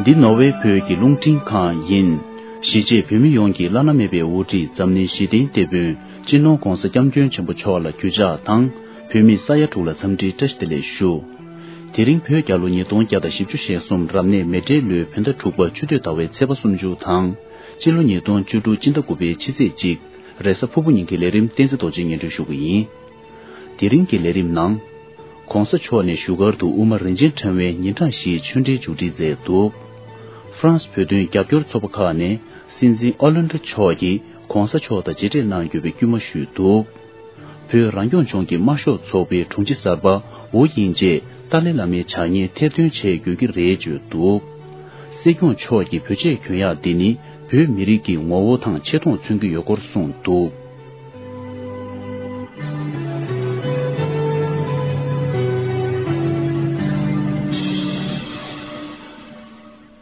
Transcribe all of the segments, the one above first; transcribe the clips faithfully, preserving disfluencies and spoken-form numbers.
འདི་ནོར་ཝེ་བོད་ཀྱི་རླུང་འཕྲིན་ཁང་ཡིན། གཞིས་བྱེས་བོད་མི་ཡོངས་ཀྱི་བླ་ན་མེད་པའི་དབུ་ཁྲིད་འཛམ་གླིང་ཞི་བདེའི་དེད་དཔོན་སྤྱི་ནོར་༧གོང་ས་༧སྐྱབས་མགོན་ཆེན་པོ་མཆོག་ལ་གུས་ཕྱག་དང་། བོད་མི་ས་ཡ་དྲུག་ལ་འཚམས་འདྲིའི་བཀྲ་ཤིས་བདེ་ལེགས་ཞུ། དེ་རིང་བོད་རྒྱལ་ལོ་ཉིས་སྟོང་བརྒྱ་དང་བཞི་བཅུ་ཞེ་གསུམ་རབ་གནས་མེ་སྤྲེལ་ལོའི་བོད་ཟླ་དྲུག་པ་ཆུ་སྟོད་ཟླ་བའི་ཚེས་པ་སུམ་ཅུ་དང་། སྤྱི་ལོ་ཉིས་སྟོང་བཅུ་དྲུག་སྤྱི་ཟླ་དགུ་པའི་ཕྱི་ཚེས་གཅིག་རེས་གཟའ་ཕུར་བུ་ཉིན་གྱི་ལས་རིམ་བསྟན་འཛིན་རྡོ་རྗེས་སྙན་སྒྲོན་ཞུ་གི་ཡིན། དེ་རིང་གི་ལས་རིམ་ནང་། ྋགོང་ས་མཆོག་ནས་བཞུགས་སྒར་དུ་དབུ་མ་རིན་ཆེན་ཕྲེང་བའི་ཉིན་གྲངས་བཞིའི་ཆོས་འབྲེལ་མཇུག་སྒྲིལ་མཛད་འདུག་ཧྥ་རན་སི་བོད་དོན་རྒྱབ་སྐྱོར་ཚོགས་པ་ཁག་ནས་སྲིད་འཛིན་ཨོ་ལན་ཌོ་མཆོག་གིས་ྋགོང་ས་མཆོག་དང་མཇལ་འཕྲད་གནང་རྒྱུ་བའི་སྐུལ་མ་ཞུས་འདུག་བོད་རང་སྐྱོང་ལྗོངས་ཀྱི་དམར་ཤོག་ཚོགས་པའི་དྲུང་ཆེ་གསར་པ་ཝུ་དབྱིང་ཅེས་ཏཱ་ལའི་བླ་མའི་ཕྱག་བརྙན་ཐེར་འདོན་བྱེད་དགོས་ཀྱི་རེད་བརྗོད་འདུག་སྲིད་སྐྱོང་མཆོག་གིས་བོད་ཆས་གྱོན་ཡག་འདི་ནི་བོད་མི་རིགས་ཀྱི་ངོ་བོ་དང་ཆེ་མཐོང་མཚོན་གྱི་ཡོད་སྐོར་གསུངས་འདུག་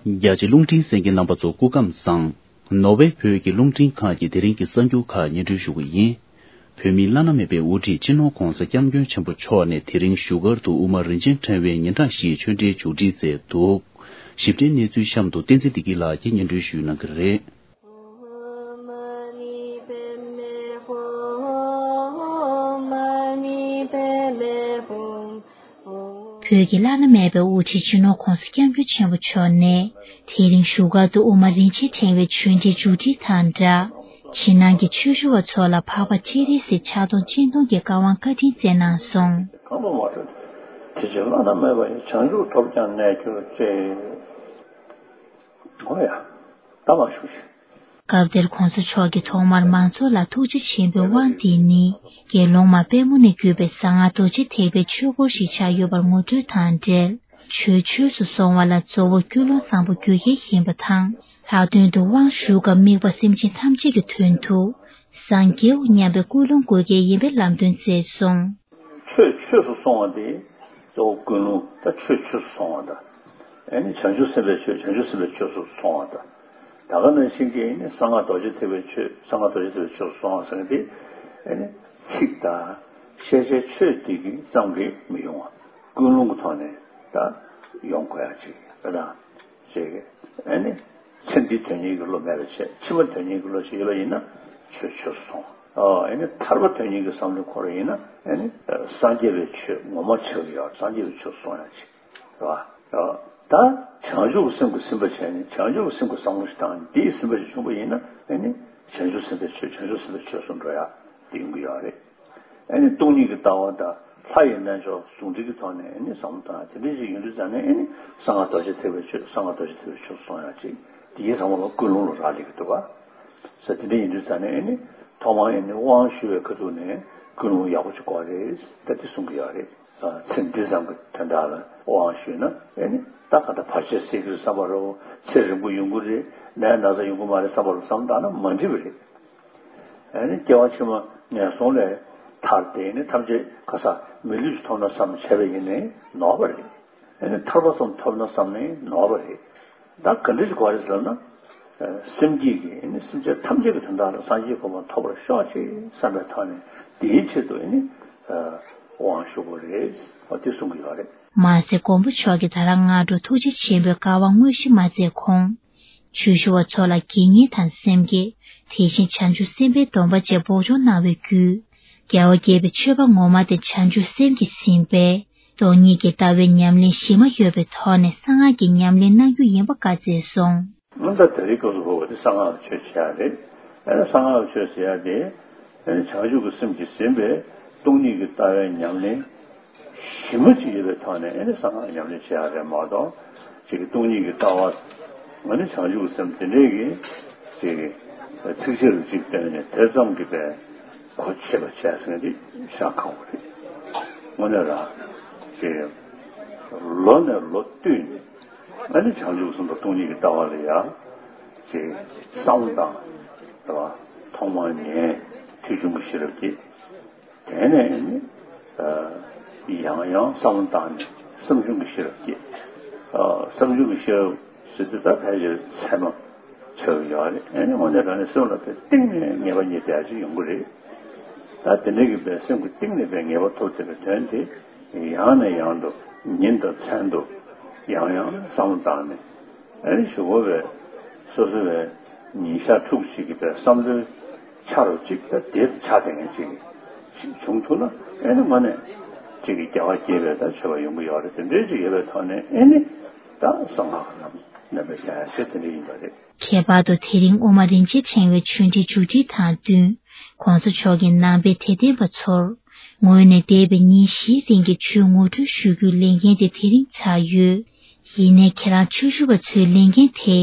རྒྱ་ཆེ་རླུང་འཕྲིན་གསན་མཁན་རྣམ་པ་ཚོ་སྐུ་ཁམས་བཟང་། ནོར་ཝེ་བོད་ཀྱི་རླུང་འཕྲིན་ཁང་གི་དེ་རིང་གི་གསར་འགྱུར་ཁག་སྙན་སྒྲོན་ཞུ་གི་ཡིན། བོད་མིའི་བླ་ན་མེད་པའི་དབུ་ཁྲིད་སྤྱི་ནོར་ྋགོང་ས་ྋསྐྱབས་མགོན་ཆེན་པོ་མཆོག་ནས་དེ་རིང་བཞུགས་སྒར་དུ་དབུ་མ་རིན་ཆེན་ཕྲེང་བའི་ཉིན་གྲངས་བཞིའི་ཆོས་འབྲེལ་མཇུག་སྒྲིལ་མཛད་འདུག་ཞིབ་ཕྲའི་གནས་ཚུལ་གཤམ་དུ་བསྟན་འཛིན་བདེ་སྐྱིད་ལགས་ཀྱིས་སྙན་སྒྲོན་ཞུ་གནང་གི་རེད། བོད་ཀྱི་བླ་ན་མེད་པའི་དབུ་ཁྲིད་སྤྱི་ནོར་ྋགོང་ས་ྋསྐྱབས་མགོན་ཆེན་པོ་མཆོག་ནས་དེ་རིང་བཞུགས་སྒར་དུ་དབུ་མ་རིན་ཆེན་ཕྲེང་བའི་ཆོས་འབྲེལ་མཇུག་སྒྲིལ་དང་སྦྲགས། ཕྱི་ནང་གི་ཆོས་ཞུ་བ་ཚོ་ལ་འཕགས་པ་སྤྱན་རས་གཟིགས་ཕྱག་སྟོང་སྤྱན་སྟོང་གི་བཀའ་དབང་བཀའ་དྲིན་སྩལ་གནང་སོང་། གང་མ་མ་ཐོས། དེ་ཕྱིར་བླ་ན་མེད་པ་ཡི། བྱང་ཆུབ་ཐོབ་ཀྱང་གནས་གྱུར་ཅིག་འོ་ཡ། ད་མ་ཞུ་ཞིག་སྐབས་དེར་ྋགོང་ས་མཆོག་གིས་ཐོག་མར་མང་ཚོགས་ལ་ཐུགས་རྗེ་ཆེན་པོའི་དབང་འདི་ནི་དགེ་སློང་མ་དཔལ་མོ་ནས་བརྒྱུད་པའི་གསང་སྔགས་རྡོ་རྗེ་ཐེག་པའི་ཆོས་སྐོར་ཞིག་ཆགས་ཡོད་པར་ངོ་སྤྲོད་དང་འབྲེལ། ཆོས་ཆོས་སུ་སོང་བ་ལ་གཙོ་བོ་ཀུན་སློང་བཟང་པོ་རྒྱུ་རྐྱེན་ཡིན་པ་དང་། ལྷག་དོན་དུ་དབང་ཞུ་སྐབས་དམིགས་པ་སེམས་ཅན་ཐམས་ཅད་ཀྱི་དོན་དུ་སངས་རྒྱས་དབུ་མཉམ་པའི་ཀུན་སློང་དགོས་གལ་ཡིན་པའི་ལམ་སྟོན་མཛད་སོང་། ཆོས་ཆོས་སུ་སོང་བ་དེ་གཙོ་བོ་ཀུན་སློང་། ད་ཆོས་ཆོས་སུ་སོང་བ་དང་། ཨེ་ནི་བྱང་ཆུབ་སེམས་དཔའི་ཆོས། བྱང་ཆུབ་སེམས་དཔའི་ཆོས་སུ་སོང་བ་དང་། ད་ག་ནང་བཞིན་གྱི་ཨེ་ནི་གསང་སྔགས་རྡོ་རྗེ་ཐེག་པའི་ཆོས། གསང་སྔགས་རྡོ་རྗེ་ཐེག་པའི་ཆོས་སུ་སོང་བ་ཟེར་མཁན་དེ་ཨེ་ནི་ཚིག་དང་ཤེས་བྱའི་ཆོས་དེ་གི་ཙམ་གྱིས་མི་ཡོང་བ། ཀུན་སློང་གི་ཐོག་ནས་ད་ཡོང་དགོས་ཡ་ཅིག་རེད་དང་། ཅིག་ཨེ་ནི་ཚེ་འདིའི་དོན་གཉེར་གྱི་བློ་མེད་པ་བྱས། ཕྱི་མ་དོན་གཉེར་གྱི་བློ་ཞིག་ཡོད་པ་ཡིན་ན་ཆོས་ཆོས་སུ་སོང་། ཨོ། ཨེ་ནི་ཐར་པ་དོན་གཉེར་གྱི་བསམ་བློ་འཁོར་བ་ཡིན་ན་ཨེ་ནི་སངས་རྒྱས་པའི་ཆོས་ངོ་མ་ཆགས་ཀྱི་ཡོད། སངས་རྒྱས་པའི་ཆོས་སུ་སོང་ཡ་ཅིག་རེད་བ། ད་བྱང་ཆུབ་ཀྱི་སེམས་ཀྱིས་ཟིན་པ་བྱས་ནས་བྱང་ཆུབ་ཀྱི་སེམས་ཀྱི་བསམ་བློ་ཞིག་དང་འདིའི་ཟིན་པ་ཞིག་བྱུང་བ་ཡིན་ན་ཨེ་ནི་བྱང་ཆུབ་སེམས་དཔའི་ཆོས། བྱང་ཆུབ་སེམས་དཔའི་ཆོས་སུ་འགྲོ་ཡ་དེ་ཡོང་གི་ཡོད་རེད། ཨེ་ནི་སྟོང་ཉིད་ཀྱི་ལྟ་བ་དང་ལྷ་ཡི་རྣལ་འབྱོར་ཟུང་འབྲེལ་གྱི་ཐོག་ནས་ཨེ་ནི་བསམ་བློ་བཏང་ཡ་དེ་འདྲ་ཞིག་ཡོང་དུས་ཙང་ནས་ཨེ་ནི་གསང་སྔགས་རྡོ་རྗེ་ཐེག་པའི་ཆོས། གསང་སྔགས་རྡོ་རྗེ་ཐེག་པའི་ཆོས་སུ་སོང་ཡ་ཅིག་དེ་གའི་ཚང་མ་ལ་ཀུན་སློང་ལ་རག་ལས་ཀྱི་འདུག་ག་ས་དེ་འདྲ་ཡིན་དུས་ཙང་ནས་ཨེ་ནི་ཐོག་མར་ཨེ་ནི་དབང་ཞུ་བའི་ཁ་ཐུག་ནས་ཀུན་སློང་ཡག་པོ་ཅིག་དགོས་རེད། ད་དེ་གསུང་གི་ཡོད་རེད། ཚེ་འདི་ཙམ་གྱི་དོན་དག་ལ་དབང་ཞུས་ན་ཨེ་ནི་ད་ག་ད་བར་ཆད་སེལ་གྱི་རེད་བསམ་པ་རེད། ཚེ་རིང་པོ་ཡོང་གི་རེད། ནད་ན་ཚ་ཡོང་གི་མ་རེད་བསམ་པ་རེད། བསམ་བཏང་ན་མ་འགྲིག་པ་རེད། ཨེ་ནི་སྐྱེ་བ་ཕྱི་མ་ངན་སོང་ལས་ཐར་ཏེ་ནི་ཐམས་ཅད་ཁ་ས་མི་ལུས་ཤིག་ཐོབ་ན་བསམ་བྱས་པ་ཡིན་ནའི་ནོར་བ་རེད། ཨེ་ནི་ཐར་པ་ཙམ་ཐོབ་ན་བསམ་ནའི་ནོར་བ་རེད། ད་ག་འདྲ་ཞིག་དགོས་རེད་ཟེར་ན། སེམས་བསྐྱེད་ཀྱིས་ཨེ་ནི་སེམས་ཅན་ཐམས་ཅད་ཀྱི་དོན་དག་ལ་སངས་རྒྱས་གོ་འཕང་ཐོབ་པར་ཤོག་ཅེས་བསམ་པའི་ཐོག་ནས་དེའི་ཆེད་དུ་ཨེ་ནི་དབང་ཞུ་དགོས་རེད། འོ་དེ་གསུང་གི་ཡོད་རེད། མ་ཟད་མགོན་པོ་མཆོག་གིས་ད་རང་སྔ་དྲོ་ཐུགས་རྗེ་ཆེན་པོའི་བཀའ་དབང་དངོས་གཞི་མ་མཛད་གོང་། ཆོས་ཞུ་བ་ཚོ་ལ་དགེ་བསྙེན་དང་སེམས་བསྐྱེད། དེ་བཞིན་བྱང་ཆུབ་སེམས་དཔའི་སྡོམ་པ་བཅས་འབོགས་ཆོག་གནང་བའི་བརྒྱུད། རྒྱལ་བ་དགྱེས་པའི་ཆོས་པ་ངོ་མ་དེ་བྱང་ཆུབ་སེམས་ཀྱིས་ཟིན་པས། སྟོང་ཉིད་ཀྱི་ལྟ་བའི་ཉམས་ལེན་གཞི་མ་ཡོད་པའི་ཐོག་ནས་གསང་སྔགས་ཀྱི་ཉམས་ལེན་གནང་རྒྱུ་ཡིན་པ་བཀའ་སྩལ་སོང་། སྔོན་ད་དེ་རིང་སྐབས་སུ་བབས་པ་དེ་གསང་སྔགས་ཀྱི་ཆོས་བྱེད་ཡ་རེད། ཨ་ནི་གསང་སྔགས་ཀྱི་ཆོས་ཟེར་ཡ་དེ། ཨ་ནི་བྱང་ཆུབ་ཀྱི་སེམས་ཀྱིས་ཟིན་པའི་སྟོང་ཉིད་ཀྱི་ལྟ་བའི་ཉམས་ལེན་གཞི་མ་ཅིག་ཡོད་པའི་ཐོག་ནས་ཨ་ནི་གསང་སྔགས་ཉམས་ལེན་བྱེད་ཡ་རེད་མ་གཏོགས། ཅིག་གི་སྟོང་ཉིད་ཀྱི་ལྟ་བ། ཨ་ནི་བྱང་ཆུབ་ཀྱི་སེམས་དེ་འདྲའི་གི་ཅིག་གི་ཚིགས་བཅད་རུ་ཅིག་བཏོན་ནས་དེ་ཙམ་གྱིས་པའི་གོ་ཆོད་པ་བྱས་ཟིན་དེ་ཤ་ཁང་བ་རེད། དངོས་གནས་ར་ཅིག་ལོ་ནས་ལོ་བསྟུད་ནས། ཨ་ནི་བྱང་ཆུབ་སེམས་དང་སྟོང་ཉིད་ཀྱི་ལྟ་བ་ལ་ཡང་ཅིག་བསམ་བློ་བཏང་། རེད་བ། ཐོག་མར་ཉན། ཐོས་བྱུང་གི་ཤེས་རབ་སྐྱེས། དེ་ནས་ཨ་ནི་ཡང་ཡང་བསམ་བློ་བཏང་ནས་བསམ་བྱུང་གི་ཤེས་རབ་སྐྱེས། བསམ་བྱུང་གི་ཤེས་རབ་ཟེར་དུས་ད་ཕལ་ཆེར་ཚད་མ་ཆགས་ཀྱི་ཡོད་རེད། ཨ་ནི་དངོས་གནས་དྲང་གནས་སེམས་ལ་དེ་གཏིང་ནས་ངེས་པ་རྙེད་བསྡད་ཅིག་ཡོང་གི་རེད། ད་དེ་འདྲ་གི་པའི་སེམས་ཀྱི་གཏིང་ནས་པའི་ངེས་པ་ཐོབ་བསྡད་པའི་དོན་དེ་ཡང་ནས་ཡང་དུ་ཉིན་དང་མཚན་དུ་ཡང་ཡང་བསམ་བློ་བཏང་ནས། ཨ་ནི་ཞུ་དགོས་པའི་སོ་སོ་བའི་ཉིན་ཞག་དྲུག་ཅིག་གི་བའི་བསམ་བློའི་ཆ་རུ་ཅིག་ད་དེ་ཆགས་བསྡད་མཁན་ཅིག་ཞིག་བྱུང་ཐུབ་ན། ཨ་ནི་དངོས་གནས་ཅིག་གི་རྒྱལ་བ་དགྱེས་པའི་ད་མཆོད་པ་ཡོང་གི་ཡོད་རེད། དེ་འདྲའི་ཅིག་ཡོད་པའི་ཐོག་ནས་ཨ་ནི་ད་གསང་སྔགས་རྣམས་ནམ་པའི་བྱ་ཡ་ཆེད་དེ་འདྲ་ཡིན་པ་རེད། ཁྱད་པར་དུ་དེ་རིང་དབུ་མ་རིན་ཆེན་ཕྲེང་བའི་ཆོས་འབྲེལ་མཇུག་སྒྲིལ་དང་བསྟུན། ༸གོང་ས་མཆོག་གིས་ནང་པའི་དད་ལྡན་པ་ཚོར་ངོས་ནས་འདས་པའི་ཉིན་བཞིའི་རིང་གི་ཆོས་ངོ་སྤྲོད་ཞུ་རྒྱུའི་ལས་འགན་དེ་དེ་རིང་ཚར་ཡོད། ཡིན་ནའི་ཁྱེད་རང་ཆོས་ཞུ་བ་ཚོའི་ལས་འགན་དེ་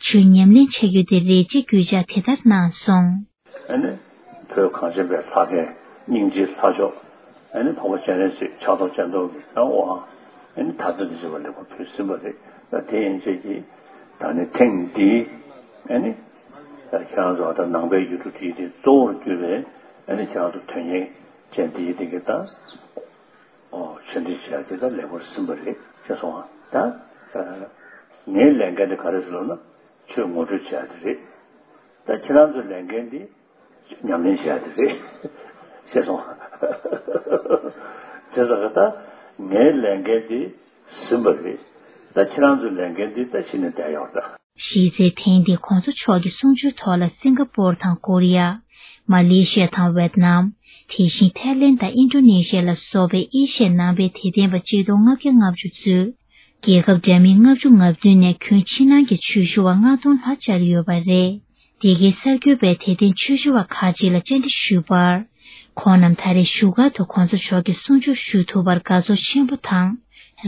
ཆོས་ཉམས་ལེན་བྱ་རྒྱུ་དེ་རེད་ཅེས་སྐྱོན་ཆ་དེ་ལྟར་གནང་སོང་། ཨ་ནི་བོད་གངས་ཅན་པའི་ལྷ་སྐལ་སྙིང་རྗེའི་ལྷ་མཆོག་ཨ་ནི་འཕགས་པ་སྤྱན་རས་གཟིགས་ཕྱག་རྡོར་སྤྱན་སྟོབས་ཀྱི་ནང་དབང་ཨ་ནི་ད་ལྟ་འདི་བྱེད་པ་ལེགས་པར་ཕུལ་ཟིན་པ་རེད། ད་དེ་ཡན་ཆད་ཀྱིས་ད་ནི་ཐེངས་འདིའི་ཨ་ནི་ད་ཁྱེད་རང་ཚོ་ད་ནང་པའི་ཡུལ་གྲུ་འདིའི་གཙོ་བོར་གྱུར་པའི་ཨ་ནི་ཁྱེད་རང་ཚོ་དོན་གཉེར་ཅན་འདིའི་སྟེང་གི་ད་ཨོ་ཆོས་འབྲེལ་བྱས་ཏེ་ད་ལེགས་པར་ཟིན་པ་རེད་ཅེས་སོང་ང་། ད་ངའི་ལས་འགན་དེ་ག་རེ་ཟེར་ལབ་ན་ཆོས་ངོ་སྤྲོད་བྱས་ཏེ་རེད། ད་ཁྱེད་རང་ཚོའི་ལས་འགན་འདི་ཉམས་ལེན་བྱས་ཏེ་རེད་ཅེས་སོང་ང་། བྱས་ཙང་ད་ངའི་ལས་འགན་འདི་ཟིན་པ་རེད། ད་ཁྱེད་རང་ཚོའི་ལས་འགན་འདི་ད་གཞི་ནས་བསྡད་ཡོད་ད། གཞི་རྩའི་ཐེངས་འདིའི་༸གོང་ས་མཆོག་གི་གསུང་ཆོས་ཐོག་ལ་སིང་ག་པོར་དང་ཀོ་རི་ཡ། མ་ལེ་ཤི་ཡ་དང་ཝེད་ནམ། དེ་བཞིན་ཐའི་ལེན་དང་ཨིན་ཌོ་ནེ་ཤི་ཡ་ལ་སོགས་པའི་ཨེ་ཤི་ཡའི་ནང་པའི་དད་ལྡན་པ་ཆིག་སྟོང་ལྔ་བརྒྱ་ལྔ་བཅུ་གཙོས། རྒྱལ་ཁབ་འདྲ་མིན་ལྔ་བཅུ་ང་བདུན་ནས་ཁྱོན་ཕྱི་ནང་གི་ཆོས་ཞུ་བ་ལྔ་སྟོང་ལྷག་བཅར་ཡོད་པ་རེད། འདི་གའི་གསར་འགོད་པས་དད་ལྡན་ཆོས་ཞུ་བ་ཁག་ཅིག་ལ་བཅར་འདྲི་ཞུས་པར། ཁོང་རྣམས་ད་རེས་བཞུགས་སྒར་དུ་༸གོང་ས་མཆོག་གི་གསུང་ཆོས་ཞུ་ཐུབ་པར་དགའ་ཚོར་ཆེན་པོ་དང་།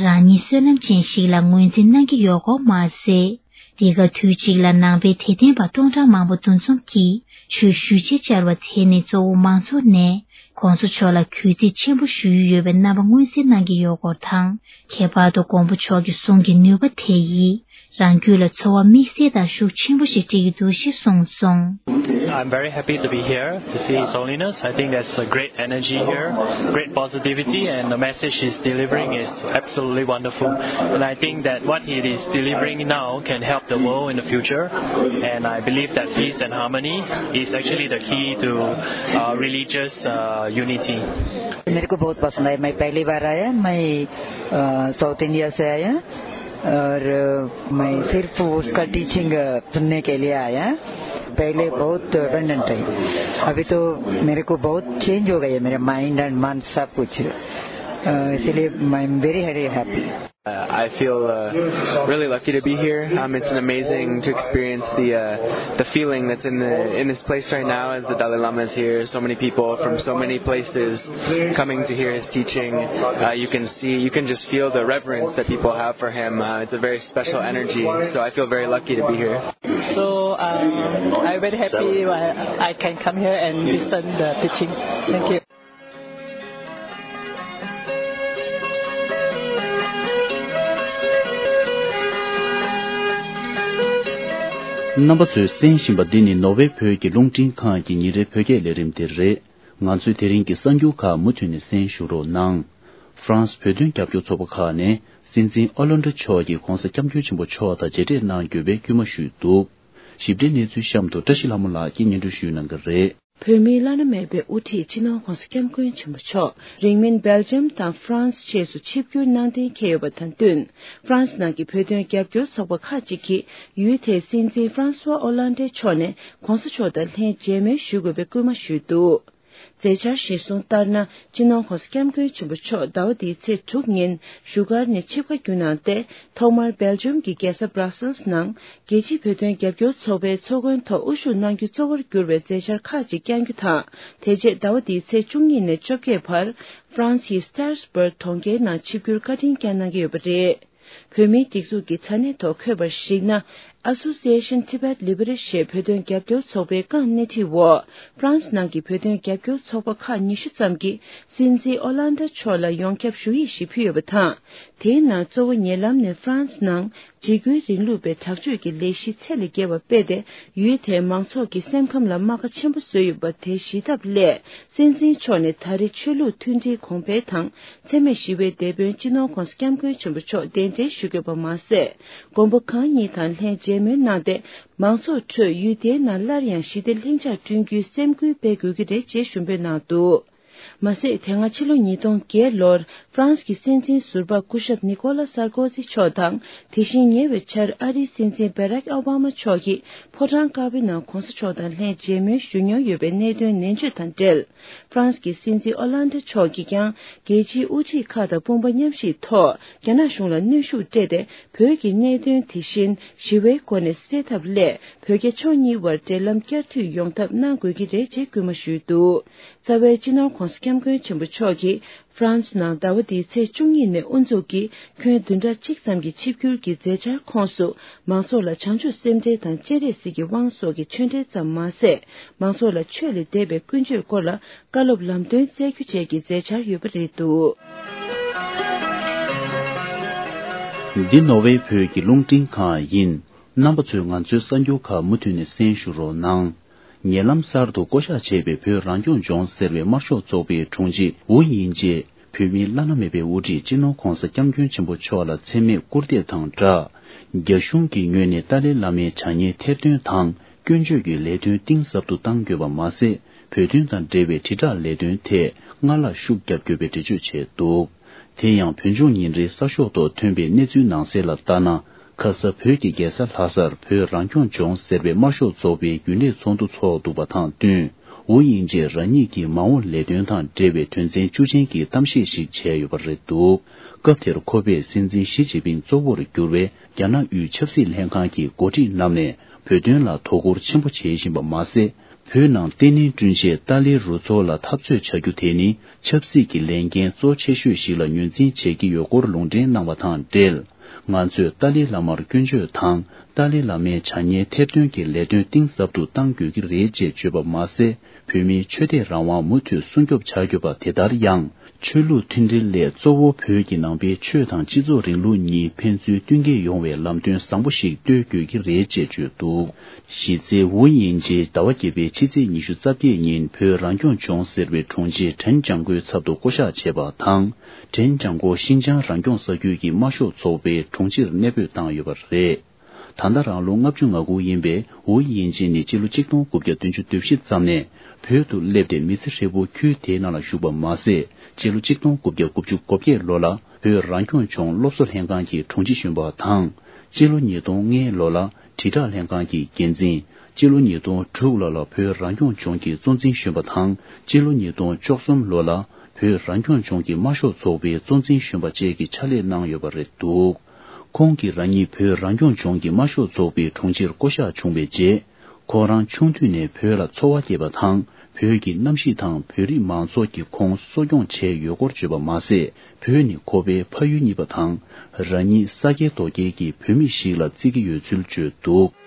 རང་ཉིད་བསོད་ནམས་ཅན་ཞིག་ལ་ངོས་འཛིན་གནང་གི་ཡོད་སྐོར་མ་ཟད། འདི་ག་དུས་གཅིག་ལ་ནང་པའི་དད་ལྡན་པ་སྟོང་ཕྲག་མང་པོ་འདུ་འཛོམས་ཀྱིས་ཆོས་ཞུ་ཆེད་བཅར་བ་དེ་ནི་གཙོ་བོ་མང་ཚོགས་ནས་༸གོང་ས་མཆོག་ལ་གུས་བརྩི་ཆེན་པོ་ཞུ་ཡི་ཡོད་པའི་རྣམ་པ་མངོན་གསལ་གནང་གི་ཡོད་སྐོར་དང་། ཁྱད་པར་དུ་མགོན་པོ་མཆོག་གི་གསུང་གི་ནུས་པ་དེ་ཡིས་རང་རྒྱུད་ལ་ཚོར་བ་དམིགས་བསལ་དང་ཤུགས་ཆེན་པོ་ཞིག་སྤྲད་ཀྱི་འདུག་ཅེས་གསུངས་སོང་། I'm very happy to be here to see His Holiness. I think that's a great energy here, great positivity, and the message he's delivering is absolutely wonderful. And I think that what he is delivering now can help the world in the future. And I believe that peace and harmony is actually the key to uh, religious uh, unity. मेरे को बहुत पसंद आया। मैं पहली बार आया। मैं अ, south India से आया और अ, मैं सिर्फ उसका टीचिंग अ, सुनने के लिए आया। पहले बहुत डिपेंडेंट है, अभी तो मेरे को बहुत चेंज हो गई है, मेरे माइंड एंड मन सब कुछ। अ, इसीलिए I am very very happy. Uh, I feel uh, really lucky to be here. Um, it's an amazing to experience the uh, the feeling that's in the in this place right now as the Dalai Lama is here. So many people from so many places coming to hear his teaching. Uh, you can see, you can just feel the reverence that people have for him. Uh, it's a very special energy. So I feel very lucky to be here. So um, I'm very happy I, I can come here and listen the teaching. Thank you. རྣམ་པ་ཚོས་གསན་བཞིན་པ་འདི་ནི་ནོར་ཝེ་བོད་ཀྱི་རླུང་འཕྲིན་ཁང་གི་ཉིན་རེའི་བོད་སྐད་ལས་རིམ་དེ་རེད། ང་ཚོའི་དེ་རིང་གི་གསར་འགྱུར་ཁག་མུ་མཐུད་ནས་གསན་ཞུ་རོགས་གནང་། ཧྥ་རན་སི་བོད་དོན་རྒྱབ་སྐྱོར་ཚོགས་པ་ཁག་ནས་སྲིད་འཛིན་ཨོ་ལན་ཌོ་མཆོག་གིས་༸གོང་ས་༸སྐྱབས་མགོན་ཆེན་པོ་མཆོག་དང་མཇལ་འཕྲད་གནང་དགོས་པའི་སྐུལ་མ་ཞུས་འདུག། ཞིབ་ཕྲའི་གནས་ཚུལ་གཤམ་དུ་བཀྲ་ཤིས་ལྷ་མོ་ལགས་ཀྱིས་སྙན་སྒྲོན་ཞུ་གནང་གི་རེད། བོད་མིའི་བླ་ན་མེད་པའི་དབུ་ཁྲིད་སྤྱི་ནོར་༸གོང་ས་༸སྐྱབས་མགོན་ཆེན་པོ་མཆོག་རིང་མིན་སྦེལ་ཇམ་དང་ཧྥ་རན་སི་བཅས་སུ་ཆིབས་བསྒྱུར་གནང་གཏན་འཁེལ་ཡོད་པ་དང་བསྟུན། ཧྥ་རན་སི་ནང་གི་བོད་དོན་རྒྱབ་སྐྱོར་ཚོགས་པ་ཁག་ཅིག་གིས་ཡུལ་དེའི་སྲིད་འཛིན་ཧྥ་རན་སུ་ཝ་ཨོ་ལན་ཌེ་མཆོག་ནས་༸གོང་ས་མཆོག་དང་ལྷན་མཇལ་མོལ་ཞུ་དགོས་པའི་སྐུལ་མ་ཞུས་འདུག། མཛད་འཆར་གཞིར་བཟུང་ལྟར་ན། སྤྱི་ནོར་༸གོང་ས་༸སྐྱབས་མགོན་ཆེན་པོ་མཆོག་ཟླ་བ་འདིའི་ཚེས་དྲུག་ཉིན་བཞུགས་སྒར་ནས་ཆིབས་ཁ་བསྒྱུར་གནང་སྟེ། ཐོག་མར་སྦེལ་ཇམ་གྱི་རྒྱལ་ས་བྷ་ར་སེལ་ནང་རྒྱལ་སྤྱིའི་བོད་དོན་རྒྱབ་སྐྱོར་ཚོགས་པའི་ཚོགས་མགོན་ཐོག་དབུ་བཞུགས་གནང་རྒྱུ་གཙོ་བོར་གྱུར་བའི་མཛད་འཆར་ཁག་ཅིག་བསྐྱང་རྒྱུ་དང་། དེ་རྗེས་ཟླ་བ་འདིའི་ཚེས་བཅུ་གཉིས་ནས་བཅོ་བརྒྱད་བར་ཧྥ་རན་སིའི་སི་ཏཱ་རས་སྦུར་གྲོང་ཁྱེར་ནང་ཆིབས་བསྒྱུར་བཀའ་དྲིན་བསྐྱངས་གནང་གི་ཡོད་པ་རེད། བོད་མིའི་སྒྲིག་འཛུགས་ཀྱི་དྲ་གནས་ཐོག་འཁོད་པར་གཞིགས་ན། Association Tibet Liberation ཞེས་བོད་དོན་རྒྱབ་སྐྱོར་ཚོགས་པའི་རྐང་སྣེ་ཁྲིད་འོག་ཧྥ་རན་སི་ནང་གི་བོད་དོན་རྒྱབ་སྐྱོར་ཚོགས་པ་ཁག་ཉི་ཤུ་ཙམ་གྱིས་སྲིད་འཛིན་ཨོ་ལན་ཌ་མཆོག་ལ་ཡོངས་ཁྱབ་ཞུ་ཡིག་ཞིག་ཕུལ་ཡོད་པ་དང་། དེའི་ནང་གཙོ་བོ་ཉེ་ལམ་ནས་ཧྥ་རན་སི་ནང་འཇིགས་སྐུལ་རིང་ལུགས་པའི་དྲག་སྤྱོད་ཀྱི་ལས་གཞི་ཚད་ལས་བརྒལ་བ་སྤེལ་ཏེ། ཡུལ་དེའི་མང་ཚོགས་ཀྱི་སེམས་ཁམས་ལ་རྨ་ཁ་ཆེན་པོ་བཟོས་ཡོད་པ་དེ་ཞི་ཐབས་སླད། སྲིད་འཛིན་མཆོག་ནས་ད་རེས་ཆོས་ལུགས་མཐུན་སྒྲིལ་གོང་འཕེལ་དང་། འཚེ་མེད་ཞི་བའི་དེད་དཔོན་སྤྱི་ནོར་༸གོང་ས་༸སྐྱབས་མགོན་ཆེན་པོ་མཆོག་གདན་འདྲེན་ཞུ་དགོས་པ་མ་ཟད། མགོན་པོ་གང་ཉིད་དང་ལྷན་མཇལ་མོལ་གནང་སྟེ། མང་ཚོགས་ཁྲོད་ཡུལ་དེའི་ནང་སླར་ཡང་ཞི་བདེ་ལྷིང་འཇགས་བསྐྲུན་རྒྱུའི་སེམས་ཁུར་སྤེལ་དགོས་ཀྱི་རེད་ཅེས་ཞུ་འབོད་གནང་འདུག། མ་ཟད། དེ་སྔ་ཕྱི་ལོ་ཉིས་སྟོང་བརྒྱད་ལོར་ཧྥ་རན་སི་གི་སྲིད་འཛིན་ཟུར་པ་སྐུ་ཞབས་ནི་ཀོ་ལ་སར་ཀོ་ཟི་མཆོག་དང་། དེ་བཞིན་ཉེ་བའི་ཆར་ཨ་རིའི་སྲིད་འཛིན་བྷ་རག་ཨོ་བྷ་མ་མཆོག་གིས་ཕོ་བྲང་དཀར་པོའི་ནང་གོང་ས་མཆོག་དང་ལྷན་མཇལ་མོལ་ཞུ་མྱོང་ཡོད་པའི་གནད་དོན་ནན་བརྗོད་དང་འབྲེལ། ཧྥ་རན་སི་གི་སྲིད་འཛིན་ཨོ་ལན་ཌ་མཆོག་གིས་ཀྱང་རྒྱལ་སྤྱིའི་དབུ་ཁྲིད་ཁག་དང་དཔུང་པ་མཉམ་གཤིབ་ཐོག་རྒྱ་ནག་གཞུང་ལ་གནོན་ཤུགས་སྤྲད་དེ། བོད་ཀྱི་གནད་དོན་དེ་བཞིན་ཞི་བའི་སྒོ་ནས་སེལ་ཐབས་སླད། བོད་རྒྱ་ཕྱོགས་གཉིས་དབར་འབྲེལ་ལམ་བསྐྱར་མཐུད་ཡོང་ཐབས་གནང་དགོས་ཀྱི་རེད་ཅེས་སྐུལ་མ་ཞུས་འདུག། རྩ་བའི་སྤྱི་ནོར་༧གོང་ས་༧སྐྱབས་མགོན་ཆེན་པོ་མཆོག་གིས་ཧྥ་རན་སི་ནང་ཟླ་བ་འདིའི་ཚེས་བཅུ་གཉིས་ནས་དབུ་འཛུགས་ཀྱིས་ཁྱོན་བདུན་ཕྲག་གཅིག་ཙམ་གྱི་ཆིབས་བསྒྱུར་གྱི་མཛད་འཆར་ཁོངས་སུ། མང་ཚོགས་ལ་བྱང་ཆུབ་སེམས་ཁྲལ་དང་སྤྱན་རས་གཟིགས་ཀྱི་དབང་སོགས་ཀྱི་ཆོས་འབྲེལ་ཙམ་མ་ཟད། མང་ཚོགས་ལ་ཆོས་ལས་འདས་པའི་ཀུན་སྤྱོད་སྐོར་ལ་བཀའ་སློབ་ལམ་སྟོན་སྩལ་རྒྱུ་བཅས་ཀྱི་མཛད་འཆར་ཡོད་པ་རེད་འདུག། འདི་ནོར་ཝེ་བོད་ཀྱི་རླུང་འཕྲིན་ཁང་ཡིན། རྣམ་པ་ཚོས་ང་ཚོའི་གསར་འགྱུར་ཁག་མུ་མཐུད་ནས་གསན་ཞུ་རོགས་གནང་། ཉེ་ལམ་གསར་དུ་བསྐོ་གཞག་བྱས་པའི་བོད་རང་སྐྱོང་ལྗོངས་ཟེར་བའི་དམར་ཤོག་ཚོགས་པའི་དྲུང་ཆེ་ཝུ་དབྱིན་ཇེས་བོད་མིའི་བླ་ན་མེད་པའི་དབུ་ཁྲིད་སྤྱི་ནོར་༧གོང་ས་༧སྐྱབས་མགོན་ཆེན་པོ་མཆོག་ལ་མཚན་སྨད་སྐུར་འདེབས་དང་སྦྲགས། རྒྱ་གཞུང་གི་ངོས་ནས་ཏཱ་ལའི་བླ་མའི་བྱ་ངན་ཐེར་འདོན་དང་སྐྱོན་བརྗོད་ཀྱི་ལས་དོན་གཏིང་ཟབ་ཏུ་གཏང་དགོས་པ་མ་ཟད། བོད་དོན་དང་འབྲེལ་བའི་དྲིལ་བསྒྲགས་ལས་དོན་ཐད་སྔར་ལྷག་ཤུགས་རྒྱབ་དགོས་པའི་འགྲེལ་བརྗོད་བྱས་འདུག། དེ་ཡང་བོད་ལྗོངས་ཉིན་རེའི་གསར་ཤོག་ཐོག་ཐོན་པའི་གནས་ཚུལ་ནང་གསལ་ལ་ལྟ་ན། ཁ་ས་བོད་ཀྱི་རྒྱལ་ས་ལྷ་སར་བོད་རང་སྐྱོང་ལྗོངས་ཟེར་བའི་དམར་ཤོག་ཚོགས་པའི་རྒྱུན་ལས་ཚོགས་འདུ་འཚོགས་འདུག་པ་དང་བསྟུན། ཝུ་དབྱིན་ཇེས་རང་ཉིད་ཀྱི་མ་འོངས་ལས་དོན་དང་འབྲེལ་བའི་དོན་ཚན་བཅུ་ཅན་གྱི་གཏམ་བཤད་ཞིག་བྱས་ཡོད་པ་རེད་འདུག། སྐབས་དེར་ཁོ་པས་སྲིད་འཛིན་ཞི་ཅིན་ཕིང་གཙོ་བོར་གྱུར་བའི་རྒྱ་ནག་དབུས་ཆབ་སྲིད་ལྷན་ཁང་གི་འགོ་ཁྲིད་རྣམས་ནས་བོད་དོན་ལ་དོ་ཁུར་ཆེན་པོ་བྱེད་བཞིན་པ་མ་ཟད། བོད་ནང་བརྟན་ལྷིང་བསྐྲུན་ཆེད་ཏཱ་ལའི་རུ་ཚོགས་ལ་འཐབ་རྩོད་བྱ་རྒྱུ་དེ་ནི་ཆབ་སྲིད་ཀྱི་ལས་འགན་གཙོ་ཆེ་ཤོས་ཤིག་ལ་ངོས་འཛིན་བྱེད་ཀྱི་ཡོད་སྐོར་ལུང་འདྲེན་གནང་བ་དང་འབྲེལ། ང་ཚོས་ཏཱ་ལའི་བླ་མར་སྐྱོན་བརྗོད་དང་ཏཱ་ལའི་བླ་མའི་བྱ་ངན་ཐེར་འདོན་གྱི་ལས་དོན་གཏིང་ཟབ་ཏུ་གཏང་དགོས་ཀྱི་རེད་ཅེས་བརྗོད་པ་མ་ཟད། བོད་མིའི་ཆོས་དད་རང་དབང་མུ་མཐུད་སྲུང་སྐྱོབ་བྱ་དགོས་པ་དེ་ལྟར་ཡང་། ཆོས་ལུགས་མཐུན་སྒྲིལ་སླད་གཙོ་བོ་བོད་ཀྱི་ནང་པའི་ཆོས་དང་སྤྱི་ཚོགས་རིང་ལུགས་གཉིས་ཕན་ཚུན་བསྟུན་མཁས་ཡོང་བའི་ལམ་སྟོན་བཟང་པོ་ཞིག་གཏོད་དགོས་ཀྱི་རེད་ཅེས་བརྗོད་འདུག། གཞི་རྩའི་ཝུ་དབྱིན་ཇེས་ཟླ་བ་བརྒྱད་པའི་ཕྱི་ཚེས་ཉི་ཤུ་རྩ་བརྒྱད་ཉིན་བོད་རང་སྐྱོང་ལྗོངས་ཟེར་བའི་དྲུང་ཆེ་ཁྲེན་ཅང་ཀོའི་ཚབ་ཏུ་བསྐོ་གཞག་བྱས་པ་དང་། ཁྲེན་ཅང་ཀོ་ཤིན་ཅང་རང་སྐྱོང་ས་ཁུལ་གྱི་དམར་ཤོག་ཚོགས་པའི་དྲུང་ཆེར་གནས་སྤོས་བཏང་ཡོད་པ་རེད། ད་ལྟ་རང་ལོ་ལྔ་བཅུ་ང་དགུ་ཡིན་པའི་ཝུ་དབྱིན་ཇེ་ནི་སྤྱི་ལོ་གཅིག་སྟོང་དགུ་བརྒྱ་བདུན་ཅུ་དོན་བཞི་ཙམ་ནས་བོད་དུ་སླེབས་ཏེ་མི་ཚེ་ཧྲིལ་པོ་ཁུལ་དེའི་ནང་ལ་བཞུགས་པ་མ་ཟད། སྤྱི་ལོ་གཅིག་སྟོང་དགུ་བརྒྱ་དགུ་བཅུ་གོ་བརྒྱད་ལོ་ལ་བོད་རང་སྐྱོང་ལྗོངས་སློབ་གསོ་ལྷན་ཁང་གི་དྲུང་ཆེ་གཞོན་པ་དང་། སྤྱི་ལོ་ཉིས་སྟོང་ལྔ་ལོ་ལ་དྲིལ་བསྒྲགས་ལྷན་ཁང་གི་འགན་འཛིན། སྤྱི་ལོ་ཉིས་སྟོང་དྲུག་ལོ་ལ་བོད་རང་སྐྱོང་ལྗོངས་ཀྱི་གཙོ་འཛིན་གཞོན་པ་དང་། སྤྱི་ལོ་ཉིས་སྟོང་བཅུ་གསུམ་ལོ་ལ་བོད་རང་སྐྱོང་ལྗོངས་ཀྱི་དམར་ཤོག་ཚོགས་པའི་གཙོ་འཛིན་གཞོན་པ་བཅས་ཀྱི་ཕྱག་ལས་གནང་ཡོད་པ་རེད་འདུག། ཁོང་གིས་རང་ཉིད་བོད་རང་སྐྱོང་ལྗོངས་ཀྱི་དམར་ཤོག་ཚོགས་པའི་དྲུང་ཆེར་བསྐོ་གཞག་བྱུང་བའི་རྗེས། ཁོ་རང་ཆུང་དུས་ནས་བོད་ལ་འཚོ་བ་སྐྱེལ་བ་དང་། བོད་ཀྱི་གནམ་གཤིས་དང་བོད་རིགས་མང་ཚོགས་ཀྱིས་ཁོང་གསོ་སྐྱོང་བྱས་ཡོད་སྐོར་བརྗོད་པ་མ་ཟད། བོད་ནི་ཁོ་པའི་ཕ་ཡུལ་གཉིས་པ་དང་། རང་ཉིད་ས་སྐྱེས་རྡོ་སྐྱེས་ཀྱི་བོད་མི་ཞིག་ལ་བརྩི་གི་ཡོད་ཚུལ་བརྗོད་འདུག།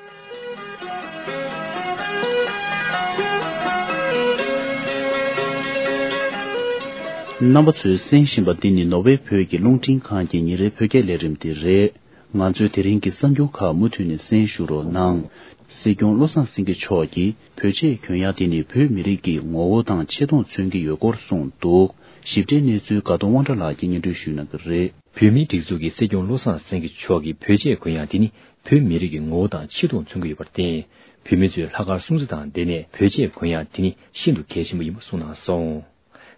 རྣམ་པ་ཚོས་གསན་བཞིན་པ་འདི་ནི་ནོར་ཝེ་བོད་ཀྱི་རླུང་འཕྲིན་ཁང་གི་ཉིན་རེའི་བོད་སྐད་ལས་རིམ་དེ་རེད། ང་ཚོའི་དེ་རིང་གི་གསར་འགྱུར་ཁག་མུ་མཐུད་ནས་གསན་ཞུ་རོགས་གནང་། སྲིད་སྐྱོང་བློ་བཟང་སེང་གེ་མཆོག་གིས་བོད་ཆས་གྱོན་ཡག་དེ་ནི་བོད་མི་རིགས་ཀྱི་ངོ་བོ་དང་ཆེ་མཐོང་མཚོན་གྱི་ཡོད་སྐོར་གསུངས་འདུག། ཞིབ་ཕྲའི་གནས་ཚུལ་དགའ་གདོང་དབང་གྲགས་ལགས་ཀྱིས་སྙན་སྒྲོན་ཞུ་གནང་གི་རེད། བོད་མིའི་སྒྲིག་འཛུགས་ཀྱི་སྲིད་སྐྱོང་བློ་བཟང་སེང་གེ་མཆོག་གིས་བོད་ཆས་གོན་ཡག་དེ་ནི་བོད་མི་རིགས་ཀྱི་ངོ་བོ་དང་ཆེ་མཐོང་མཚོན་གྱི་ཡོད་པར་བརྟེན། བོད་མི་ཚོས་ལྷག་དཀར་སྲུང་བརྩི་དང་འབྲེལ་ནས་བོད་ཆས་གོན་ཡག་དེ་ནི་ཤིན་ཏུ་གལ་ཆེན་པོ་ཡིན་པ་གསུངས་གནང་སོང་།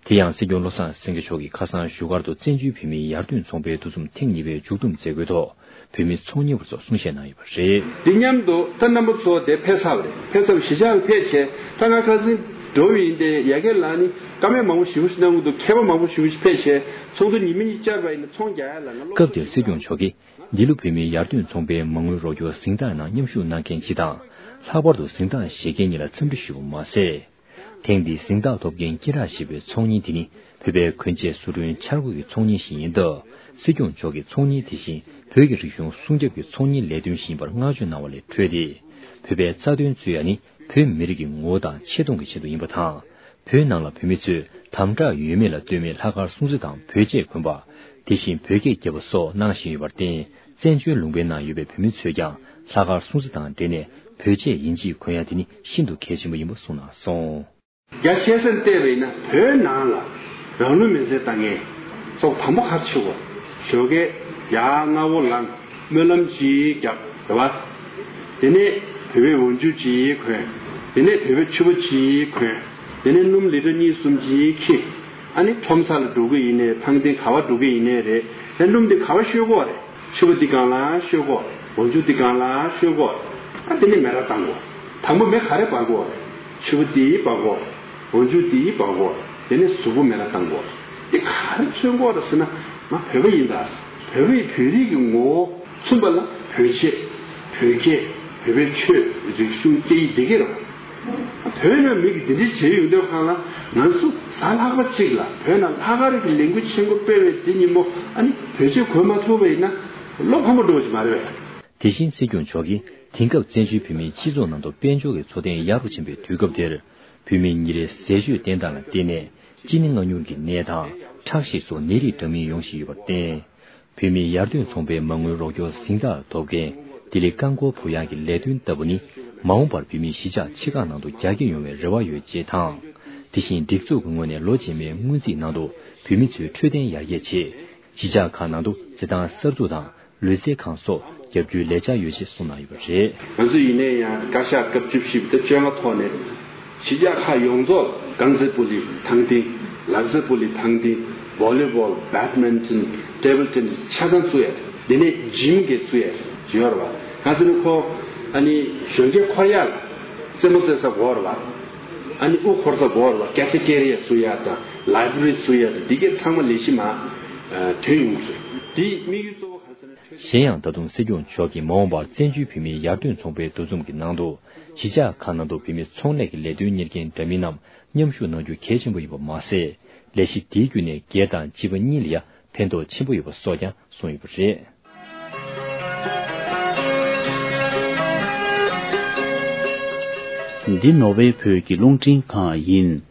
དེ་ཡང་སྲིད་སྐྱོང་བློ་བཟང་སེང་གེ་མཆོག་གིས་ཁ་སང་བཞུགས་སྒར་དུ་བཙན་བྱོལ་བོད་མིའི་ཡར་ཐོན་ཚོང་པའི་འདུ་འཛོམས་ཐེངས་གཉིས་པའི་མཇུག་བསྡོམས་མཛད་སྒོའི་ཐོག་བོད་མི་ཚོང་གཉེར་བ་ཚོར་གསུང་བཤད་གནང་ཡོད་པ་རེད། འདི་མཉམ་དུ་ད་རྣམ་པ་ཚོ་དེ་ཕེབས་ཚར་བ་རེད། ཕེབས་ཚར་བ་གཞིས་ཆགས་ལ་ཕེབས་བྱས་ད་ང་ཁ་སང་འགྲོ་བ་ཡིན་ཏེ་ཡ་གི་ལ་ནི་བཀའ་མོལ་མང་པོ་ཞེ་པོ་ཞིག་གནང་གི་འདུག། མཁས་པ་མང་པོ་ཞེ་པོ་ཞིག་ཕེབས་བྱས་ཚོགས་འདུ་ཉི་མ་གཉིས་བཅར་བ་ཡིན་ན་ཚོང་རྒྱག་ཡ་ལ་ང་སློབ་སྐབས་དེར་སྲིད་སྐྱོང་མཆོག་གིས་འདི་ལོ་བོད་མིའི་ཡར་ཐོན་ཚོང་པའི་མ་དངུལ་རོགས་སྐྱོར་གཟེངས་རྟགས་ནང་མཉམ་ཞུགས་གནང་མཁན་སྤྱི་དང་། ལྷག་པར་དུ་གཟེངས་རྟགས་བཞེས་མཁན་གཉིས་ལ་འཚམས་འདྲི་ཞུས་པ་མ་ཟད། ཐེངས་འདིའི་གཟེངས་རྟགས་ཐོབ་མཁན་སྐེ་རགས་ཞེས་པའི་ཚོང་གཉེར་དེ་ནི་བོད་པའི་གོན་ཆས་བཟོ་སྐྲུན་འཆར་འགོད་ཀྱི་ཚོང་གཉེར་ཞིག་ཡིན་སྟབས། སྲིད་སྐྱོང་མཆོག་གིས་ཚོང་གཉེར་དེ་བཞིན་བོད་ཀྱི་རིག་གཞུང་སྲུང་སྐྱོབ་ཀྱི་ཚོང་གཉེར་ལས་དོན་ཞིག་ཡིན་པར་བསྔགས་བརྗོད་གནང་བ་ལས་འཕྲོས་ཏེ། བོད་པའི་རྩ་དོན་རྩོད་ཡ་ནི་བོད་མི་རིགས་ཀྱི་ངོ་བོ་དང་ཆེ་མཐོང་གི་ཆེད་དུ་ཡིན་པ་དང་། བོད་ནང་ལ་བོད་མི་ཚོས་དམ་དྲག་ཡོད་མེད་ལ་ལྟོས་མེད་ལྷག་དཀར་སྲུང་བརྩི་དང་བོད་ཆས་གོན་པ། དེ་བཞིན་བོད་སྐད་རྒྱབ་པ་སོགས་གནང་བཞིན་ཡོད་པར་བརྟེན། བཙན་བྱོལ་ལུང་པའི་ནང་ཡོད་པའི་བོད་མི་ཚོས་ཀྱང་ལྷག་དཀར་སྲུང་བརྩི་དང་འབྲེལ་ནས་བོད་ཆས་ཡིན་གཅིག་གོན་ཡ་དེ་ནི་ཤིན་ཏུ་གལ་ཆེན་པོ་ཡིན་པ་གསུངས་གནང་སོང་། རྒྱ་ཆེ་སར་བལྟས་པ་ཡིན་ན་བོད་ནང་ལ་རང་ལུས་མེར་སྲེག་བཏང་མཁན་ཚོ་དང་པོ་ག་རེ་ཆགས་ཀྱི་ཡོད་རེད། ཞོགས་ཀས་ཡར་སྔ་པོ་ལངས་སྨོན་ལམ་ཅིག་བརྒྱབ་རེད་པ། དེ་ནས་བོད་པའི་འོག་འཇུག་ཅིག་གོན། དེ་ནས་བོད་པའི་ཕྱུ་པ་ཅིག་གོན། དེ་ནས་སྣུམ་ལི་ཊར་གཉིས་གསུམ་ཅིག་འཁྱེར། ཨ་ནི་ཁྲོམ་ས་ལ་འགྲོ་གི་ཡིན་ནའི་ཐང་སྟེང་ག་བ་འགྲོ་གི་ཡིན་ནའི་རེད། ལྷན་འབྲུམ་དེ་ག་བ་བཤོས་གོ་རེད། ཕྱུ་པ་འདི་སྒང་ལ་བཤོས་གོ། འོ་ཆུ་འདི་སྒང་ལ་བཤོས་གོ། ཨ་དེ་ནས་མེ་ར་བཏང་གོ། དང་པོ་མེ་ག་རེ་སྦར་གོ་རེད། ཕྱུ་པ་འདི་སྦར་གོ། འོ་ཆུ་འདི་སྦར་གོ། དེ་ནས་གཟུགས་པོ་མེ་ར་བཏང་གོ། དེ་ག་རེ་མཚོན་གོ་རེད་ཟེར་ན། ང་བོད་པ་ཡིན་ད། བོད་པའི་བོད་རིགས་ཀྱི་ངོ་བོ། མཚོན་པ་ལ་བོད་ཆས། བོད་སྐད། བོད་པའི་ཆོས། རིག་གཞུང་སྐད་ཡིག་འདི་གས་རེད། བོད་ནང་མི་གིས་འདི་འདྲའི་བྱས་ཡོང་དུས་སྒང་ལ་ང་ཚོ་གཟའ་ལྷག་པ་གཅིག་ལ་བོད་ནང་ལྷག་དཀར་གྱི་ལས་འགུལ་ཆེན་པོ་སྤེལ་བའི་དེ་ཉིན་མོ་ཨ་ནི་བོད་ཆས་གོན་མ་ཐུབ་པ་ཡིན་ན་བློ་ཕམ་པོ་འགྲོ་བ་ཞིག་མ་རེད་པས། དེ་བཞིན་སྲིད་སྐྱོང་མཆོག་གིས་དེང་སྐབས་བཙན་བྱོལ་བོད་མིའི་སྤྱི་ཚོགས་ནང་དུ་དཔལ་འབྱོར་གྱི་འཚོ་རྟེན་ཡག་རུ་ཕྱིན་པའི་དུས་སྐབས་འདིར། བོད་མི་ཉིན་རེའི་ཟས་སྤྱོད་བསྟེན་སྟངས་ལ་བརྟེན་ནས་གཅིན་སྙི་ང་སྙུང་གི་ནད་དང་ཁྲག་ཤེད་སོགས་ནད་རིགས་འདྲ་མིན་ཡོང་བཞིན་ཡོད་པར་བརྟེན། བོད་མིའི་ཡར་ཐོན་ཚོང་པའི་མ་དངུལ་རོགས་སྐྱོར་གཟེངས་རྟགས་ཐོབ་མཁན་ལྡི་ལི་རྐང་འཁོར་བུ་གཡང་གི་ལས་དོན་ལྟ་བུ་ནི། མ་འོངས་པར་བོད་མིའི་གཞིས་ཆགས་ཆེ་ཁག་ནང་དུ་རྒྱ་སྐྱེད་ཡོང་བའི་རེ་བ་ཡོད་ཅེས་དང་། དེ་བཞིན་སྒྲིག་འཛུགས་ཀྱི་ངོས་ནས་ལོ་རྗེས་མའི་སྔོན་རྩིས་ནང་དུ་བོད་མི་ཚོའི་འཕྲོད་བསྟེན་ཡར་རྒྱས་ཆེད། གཞིས་ཆགས་ཁག་ནང་དུ་རྩེད་ཐང་གསར་འཛུགས་དང་ལུས་རྩལ་ཁང་སོགས་རྒྱབ་སྐྱོར་ལས་འཆར་ཡོད་ཅེས་གསུངས་གནང་ཡོད་པ་རེད། ང་ཚོ་ཡིན་ནའི་ཡང་བཀའ་ཤག་སྐབས་བཅུ་བཞི་པ་ད་བཅོ་ལྔ་ཐོག་ནས། གཞིས་ཆགས་ཁག་ཡོངས་རྫོགས་རྐང་རྩེད་སྤོ་ལོའི་ཐང་སྟེང་། ལག་རྩེད་སྤོ་ལོའི་ཐང་སྟེང་། བོ་ལི་བོལ། བེད་མིན་ཊོན། ཊེ་བལ་ཊེ་ནིས། ཆ་ཚང་བཙུགས་ཡ་རེད། དེ་ནས་ཇིམ་གྱི་བཙུགས་ཡ་ཡོད་རེད་བ། གང་ཟེར་ན་ཁོ་ཨ་ནི་གཞོན་སྐྱེས་འཁོར་ཡག་ལ་རྩེད་མོ་རྩེ་ས་དགོས་རེད་བ། ཨ་ནི་དབུ་འཁོར་ས་དགོས་རེད་བ། ཀེ་ཕེ་ཊེ་རི་ཡ་བཙུགས་ཡ་དང་ལའི་བྷ་རི་བཙུགས་ཡ་དང་འདི་གས་ཚང་མ་ལས་གཞི་མ་ཐོན་ཡོང་གི་རེད། དེའི་དམིགས་ཡུལ་གཙོ་བོ་གང་ཟེར་ན། གཞན་ཡང་ད་དུང་སྲིད་སྐྱོང་མཆོག་གིས་མ་འོངས་པར་བཙན་བྱོལ་བོད་མིའི་ཡར་ཐོན་ཚོང་པའི་འདུ་འཛོམས་ཀྱི་ནང་དུ། གཞིས་ཆགས་ཁག་ནང་དུ་བོད་མི་ཚོང་ལས་ཀྱི་ལས་དོན་གཉེར་མཁན་འདྲ་མིན་རྣམས་མཉམ་ཞུགས་གནང་རྒྱུ་གལ་ཆེན་པོ་ཡིན་པ་མ་ཟད། ལས་གཞི་དེའི་བརྒྱུད་ནས་སྒེར་དང་སྤྱི་པ་གཉིས་ལ་ཡང་ཕན་ཐོགས་ཆེན་པོ་ཡོད་པ་སོགས་ཀྱང་གསུངས་ཡོད་པ་རེད། འདི་ནོར་ཝེ་བོད་ཀྱི་རླུང་འཕྲིན་ཁང་ཡིན།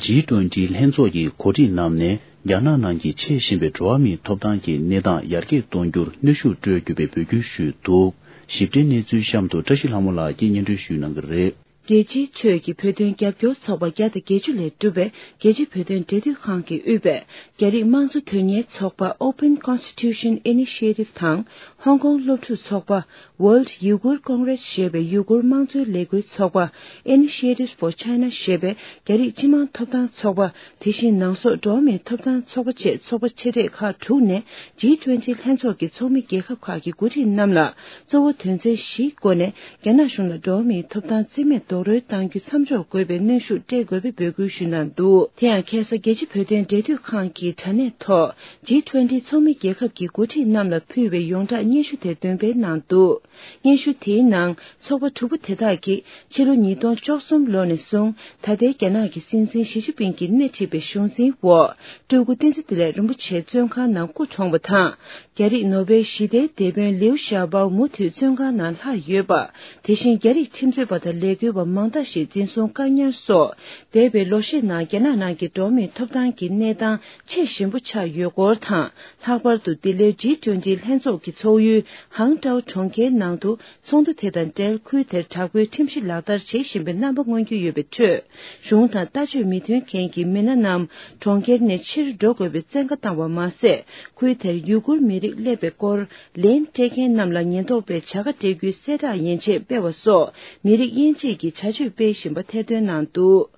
ཇི་ཊུ་ཝེན་ཊི་ལྷན་ཚོགས་ཀྱི་གོ་སྒྲིག་གནང་ནས། རྒྱ་ནག་ནང་གི་ཆེས་ཞན་པའི་འགྲོ་བ་མིའི་ཐོབ་ཐང་གི་གནས་སྟངས་ཡར་རྒྱས་གཏོང་རྒྱུར་གནོན་ཤུགས་སྤྲོད་རྒྱུ་བའི་འབོད་སྐུལ་ཞུས་འདུག། ཞིབ་ཕྲའི་གནས་ཚུལ་གཤམ་དུ་བཀྲ་ཤིས་ལྷ་མོ་ལགས་ཀྱིས་སྙན་སྒྲོན་ཞུས་གནང་གི་རེད། རྒྱལ་སྤྱིའི་ཁྲོད་ཀྱི་བོད་དོན་རྒྱབ་སྐྱོར་ཚོགས་པ་བརྒྱ་དང་བརྒྱད་ཅུ་ལས་གྲུབ་པའི་རྒྱལ་སྤྱིའི་བོད་དོན་འབྲེལ་མཐུད་ཁང་གིས་དབུས་པའི་རྒྱ་རིགས་དམངས་གཙོ་དོན་གཉེར་ཚོགས་པ་Open Constitution Initiative དང་། ཧོང་ཀོང་སློབ་ཕྲུག་ཚོགས་པ། World Uyghur Congress ཞེས་པའི་ཡུ་གུར་ཀོང་རེས་ཞེས་པའི་ཡུ་གུར་དམངས་གཙོའི་ལས་འགུལ་ཚོགས་པ། Initiative for China ཞེས་པའི་རྒྱ་རིགས་སྤྱི་དམངས་ཐོབ་ཐང་ཚོགས་པ། དེ་བཞིན་ནང་སོག་འགྲོ་བ་མིའི་ཐོབ་ཐང་ཚོགས་པ་བཅས་ཚོགས་པ་ཆེ་གྲས་ཁག་དྲུག་ནས་ཇི་ཊུ་ཝེན་ཊི་ལྷན་ཚོགས་ཀྱི་ཚོགས་མི་རྒྱལ་ཁབ་ཁག་གི་འགོ་ཁྲིད་རྣམས་ལ་གཙོ་བོ་དོན་ཚན་བཞིའི་སྒོ་ནས་རྒྱ་ནག་གཞུང་ལ་འགྲོ་བ་མིའི་ཐོབ་ཐང་རྩིས་མེད་རྡོག་རོལ་གཏང་རྒྱུ་མཚམས་འཇོག་དགོས་པའི་གནོན་ཤུགས་སྤྲད་དགོས་པའི་འབོད་སྐུལ་ཞུས་གནང་འདུག། དེ་ཡང་ཁ་སང་རྒྱལ་སྤྱིའི་བོད་དོན་འབྲེལ་མཐུད་ཁང་གི་དྲ་གནས་ཐོག་ཇི་ཊུ་ཝེན་ཊི་ཚོགས་མི་རྒྱལ་ཁབ་ཀྱི་འགོ་ཁྲིད་རྣམས་ལ་ཕུལ་བའི་ཡོངས་གྲགས་སྙན་ཞུ་དེར་འདོན་སྤེལ་གནང་འདུག། སྙན་ཞུ་དེའི་ནང་ཚོགས་པ་དྲུག་པོ་དེ་དག་གིས་ཕྱི་ལོ་ཉིས་སྟོང་བཅུ་གསུམ་ལོ་ནས་བཟུང་ད་ལྟའི་རྒྱ་ནག་གི་སྲིད་འཛིན་ཞི་ཅིན་ཕིང་གིས་སྣེ་ཁྲིད་པའི་གཞུང་འཛིན་འོག་སྤྲུལ་སྐུ་བསྟན་འཛིན་བདེ་ལེགས་རིན་པོ་ཆེ་བཙོན་ཁང་ནང་སྐུ་གྲོངས་པ་དང་། རྒྱ་རིགས་ནོ་བེལ་ཞི་བདེའི་དེད་དཔོན་ལིའུ་ཞའོ་པའོ་མུ་མཐུད་བཙོན་ཁང་ནང་ལྷག་ཡོད་པ། དེ་བཞིན་རྒྱ་རིགས་ཁྲིམས་རྩོད་པ་དང་ལས་འགུལ་བ་མང་དག་ཞིག་འཛིན་བཟུང་བཀག་ཉར་སོགས་འདས་པའི་ལོ་ཤས་ནང་རྒྱ་ནག་ནང་གི་འགྲོ་བ་མིའི་ཐོབ་ཐང་གི་གནས་སྟངས་ཆེས་ཞན་པོ་ཆགས་ཡོད་སྐོར་དང་། ལྷག་པར་དུ་ལྡི་ལིར་ཇི་ཊུ་ཝེན་ཊི་ལྷན་ཚོགས་ཀྱི་ཚོགས་ཡུལ་ཧང་ཀྲའོ་གྲོང་ཁྱེར་ནང་དུ་ཚོགས་འདུ་དེ་དང་འབྲེལ་ཁུལ་དེར་དྲག་པོའི་ཁྲིམས་གཞི་ལག་བསྟར་བྱེད་བཞིན་པའི་རྣམ་པ་མངོན་གྱི་ཡོད་པའི་ཁྲོད། གཞུང་དང་ལྟ་སྤྱོད་མི་མཐུན་མཁན་གྱི་མི་སྣ་རྣམས་གྲོང་ཁྱེར་ནས་ཕྱིར་འགྲོ་དགོས་པའི་བཙན་བཀའ་བཏང་བ་མ་ཟད། ཁུལ་དེར་ཡུ་གུར་མི་རིགས་སླེབས་པའི་སྐོར་ལན་སྤྲད་མཁན་རྣམས་ལ་ཉེན་རྟོག་པས་བྱ་དགའ་སྤྲད་རྒྱུའི་གསལ་བསྒྲགས་ཡན་ཆད་སྤེལ་བ་སོགས་མི་རིགས་དབྱེ་འབྱེད་ཀྱི་བྱ་སྤྱོད་སྤེལ་བཞིན་པ་ཐེར་འདོན་གནང་འདུག།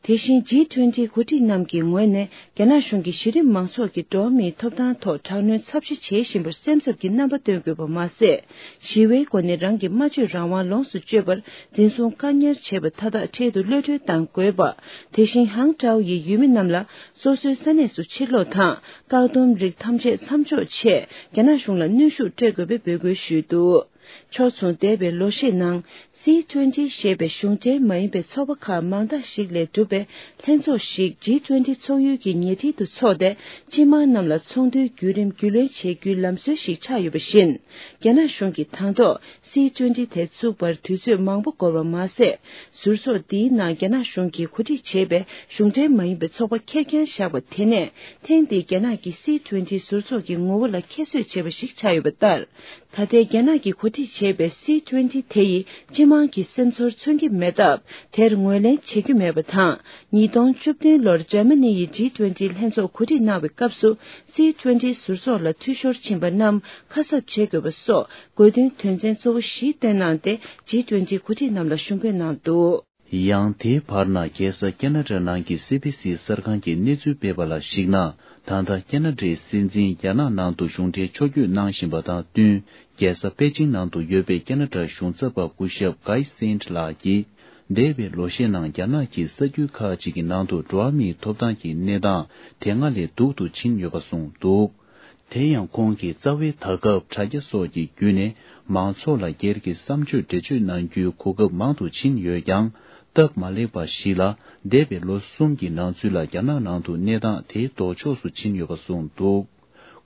དེ་བཞིན་ཇི་ཊུ་ཝེན་ཊི་འགོ་ཁྲིད་རྣམས་ཀྱི་ངོས་ནས་རྒྱ་ནག་གཞུང་གིས་གཞི་རིམ་མང་ཚོགས་ཀྱི་འགྲོ་བ་མིའི་ཐོབ་ཐང་ཐོག་དྲག་གནོན་ཚབས་ཆེ་བྱེད་བཞིན་པར་སེམས་འཚབ་ཀྱི་རྣམ་པ་སྟོན་དགོས་པ་མ་ཟད། ཞི་བའི་སྒོ་ནས་རང་གི་སྨྲ་བརྗོད་རང་དབང་ལོངས་སུ་སྤྱོད་པར་འཛིན་བཟུང་བཀག་ཉར་བྱས་པ་མཐའ་དག་འཕྲལ་དུ་གློད་གྲོལ་གཏང་དགོས་པ། དེ་བཞིན་ཧང་ཀྲའོ་ཡི་ཡུལ་མི་རྣམས་ལ་སོ་སོའི་ས་གནས་སུ་ཕྱིར་ལོག་དང་བཀག་སྡོམ་རིགས་ཐམས་ཅད་མཚམས་འཇོག་ཆེད་རྒྱ་ནག་གཞུང་ལ་གནོན་ཤུགས་སྤྲོད་དགོས་པའི་འབོད་སྐུལ་ཞུས་འདུག། ཕྱོགས་མཚུངས་འདས་པའི་ལོ་ཤས་ནང་། སི་ཊུ་ཝེན་ཊི་ཞེས་པའི་གཞུང་འབྲེལ་མ་ཡིན་པའི་ཚོགས་པ་ཁག་མང་དག་ཞིག་ལས་གྲུབ་པའི་ལྷན་ཚོགས་ཤིག་ཇི་ཊུ་ཝེན་ཊི་ཚོགས་ཡུལ་གྱི་ཉེ་འཁྲིས་དུ་འཚོགས་ཏེ། སྤྱི་དམངས་རྣམས་ལ་ཚོགས་འདུའི་བརྒྱུད་རིམ་རྒྱུས་ལོན་བྱེད་རྒྱུའི་ལམ་སྲོལ་ཞིག་ཆགས་ཡོད་པ་བཞིན། རྒྱ་ནག་གཞུང་གིས་དང་ཐོག་སི་ཊུ་ཝེན་ཊི་དེ་བཙུགས་པར་དུས་ཚོད་མང་པོ་འགོར་བ་མ་ཟད། ཟུར་ཚོགས་འདིའི་ནང་རྒྱ་ནག་གཞུང་གིས་གོ་སྒྲིག་བྱས་པའི་གཞུང་འབྲེལ་མ་ཡིན་པའི་ཚོགས་པ་ཁེར་རྐྱང་བཞག་པ་དེ་ནས་ཐེངས་འདིའི་རྒྱ་ནག་གི་སི་ཊུ་ཝེན་ཊི་ཟུར་ཚོགས་ཀྱི་ངོ་བོ་ལ་ཁྱད་གསོད་བྱས་པ་ཞིག་ཆགས་ཡོད་པ་ལྟར། ད་ལྟའི་རྒྱ་ནག་གིས་གོ་སྒྲིག་བྱས་པའི་སི་ཊུ་ཝེན་ཊི་དེ་ཡིས་སྤྱི་དམངས་ཀྱི་སེམས་ཚོར་མཚོན་གྱི་མེད་སྟབས། དེར་ངོས་ལེན་བྱེད་རྒྱུ་མེད་པ་དང་། ཉིས་སྟོང་བཅུ་བདུན་ལོར་འཇར་མ་ནི་ཡི་ཇི་ཊུ་ཝེན་ཊི་ལྷན་ཚོགས་གོ་སྒྲིག་གནང་བའི་སྐབས་སུ། སི་ཊུ་ཝེན་ཊི་ཟུར་ཚོགས་ལ་འཐུས་ཤོར་ཕྱིན་པ་རྣམས་ཁ་གསབ་བྱེད་དགོས་པ་སོགས་དགོས་འདུན་དོན་ཚན་གཙོ་བོ་བཞི་བཏོན་གནང་སྟེ། ཇི་ཊུ་ཝེན་ཊི་གོ་སྒྲིག་རྣམས་ལ་ཞུ་འབོད་གནང་འདུག། ཡང་དེའི་བར་ན་རྒྱལ་ས་ཁེ་ན་ཌ་ནང་གི་སི་བི་སི་གསར་ཁང་གིས་གནས་ཚུལ་སྤེལ་བ་ལ་གཞིགས་ན། ད་ལྟ་ཁེ་ན་ཌའི་སྲིད་འཛིན་རྒྱ་ནག་ནང་དུ་གཞུང་འབྲེལ་ཕྱོགས་བསྐྱོད་གནང་བཞིན་པ་དང་བསྟུན། རྒྱལ་ས་པེ་ཅིང་ནང་དུ་ཡོད་པའི་ཁེ་ན་ཌ་གཞུང་ཚབ་པ་སྐུ་ཞབས་Guy Saint་ལགས་ཀྱིས། འདས་པའི་ལོ་ཤས་ནང་རྒྱ་ནག་གིས་ས་ཁུལ་ཁག་ཅིག་གི་ནང་དུ་འགྲོ་བ་མིའི་ཐོབ་ཐང་གི་གནས་སྟངས་དེ་སྔ་ལས་སྡུག་ཏུ་ཕྱིན་ཡོད་པ་གསུངས་འདུག། དེ་ཡང་ཁོང་གིས་རྩ་བའི་ད་སྐབས་དྲ་རྒྱ་སོགས་ཀྱི་བརྒྱུད་ནས་མང་ཚོགས་ལ་སྒེར་གྱི་བསམ་སྤྱོད་འགྲེལ་བརྗོད་གནང་རྒྱུའི་གོ་སྐབས་མང་དུ་ཕྱིན་ཡོད་ཀྱང་། སྟབས་མ་ལེགས་པ་ཞིག་ལ། འདས་པའི་ལོ་གསུམ་གྱི་ནང་ཚུད་ལ་རྒྱ་ནག་ནང་དུ་གནས་སྟངས་དེ་ལྡོག་ཕྱོགས་སུ་ཕྱིན་ཡོད་པ་གསུངས་འདུག།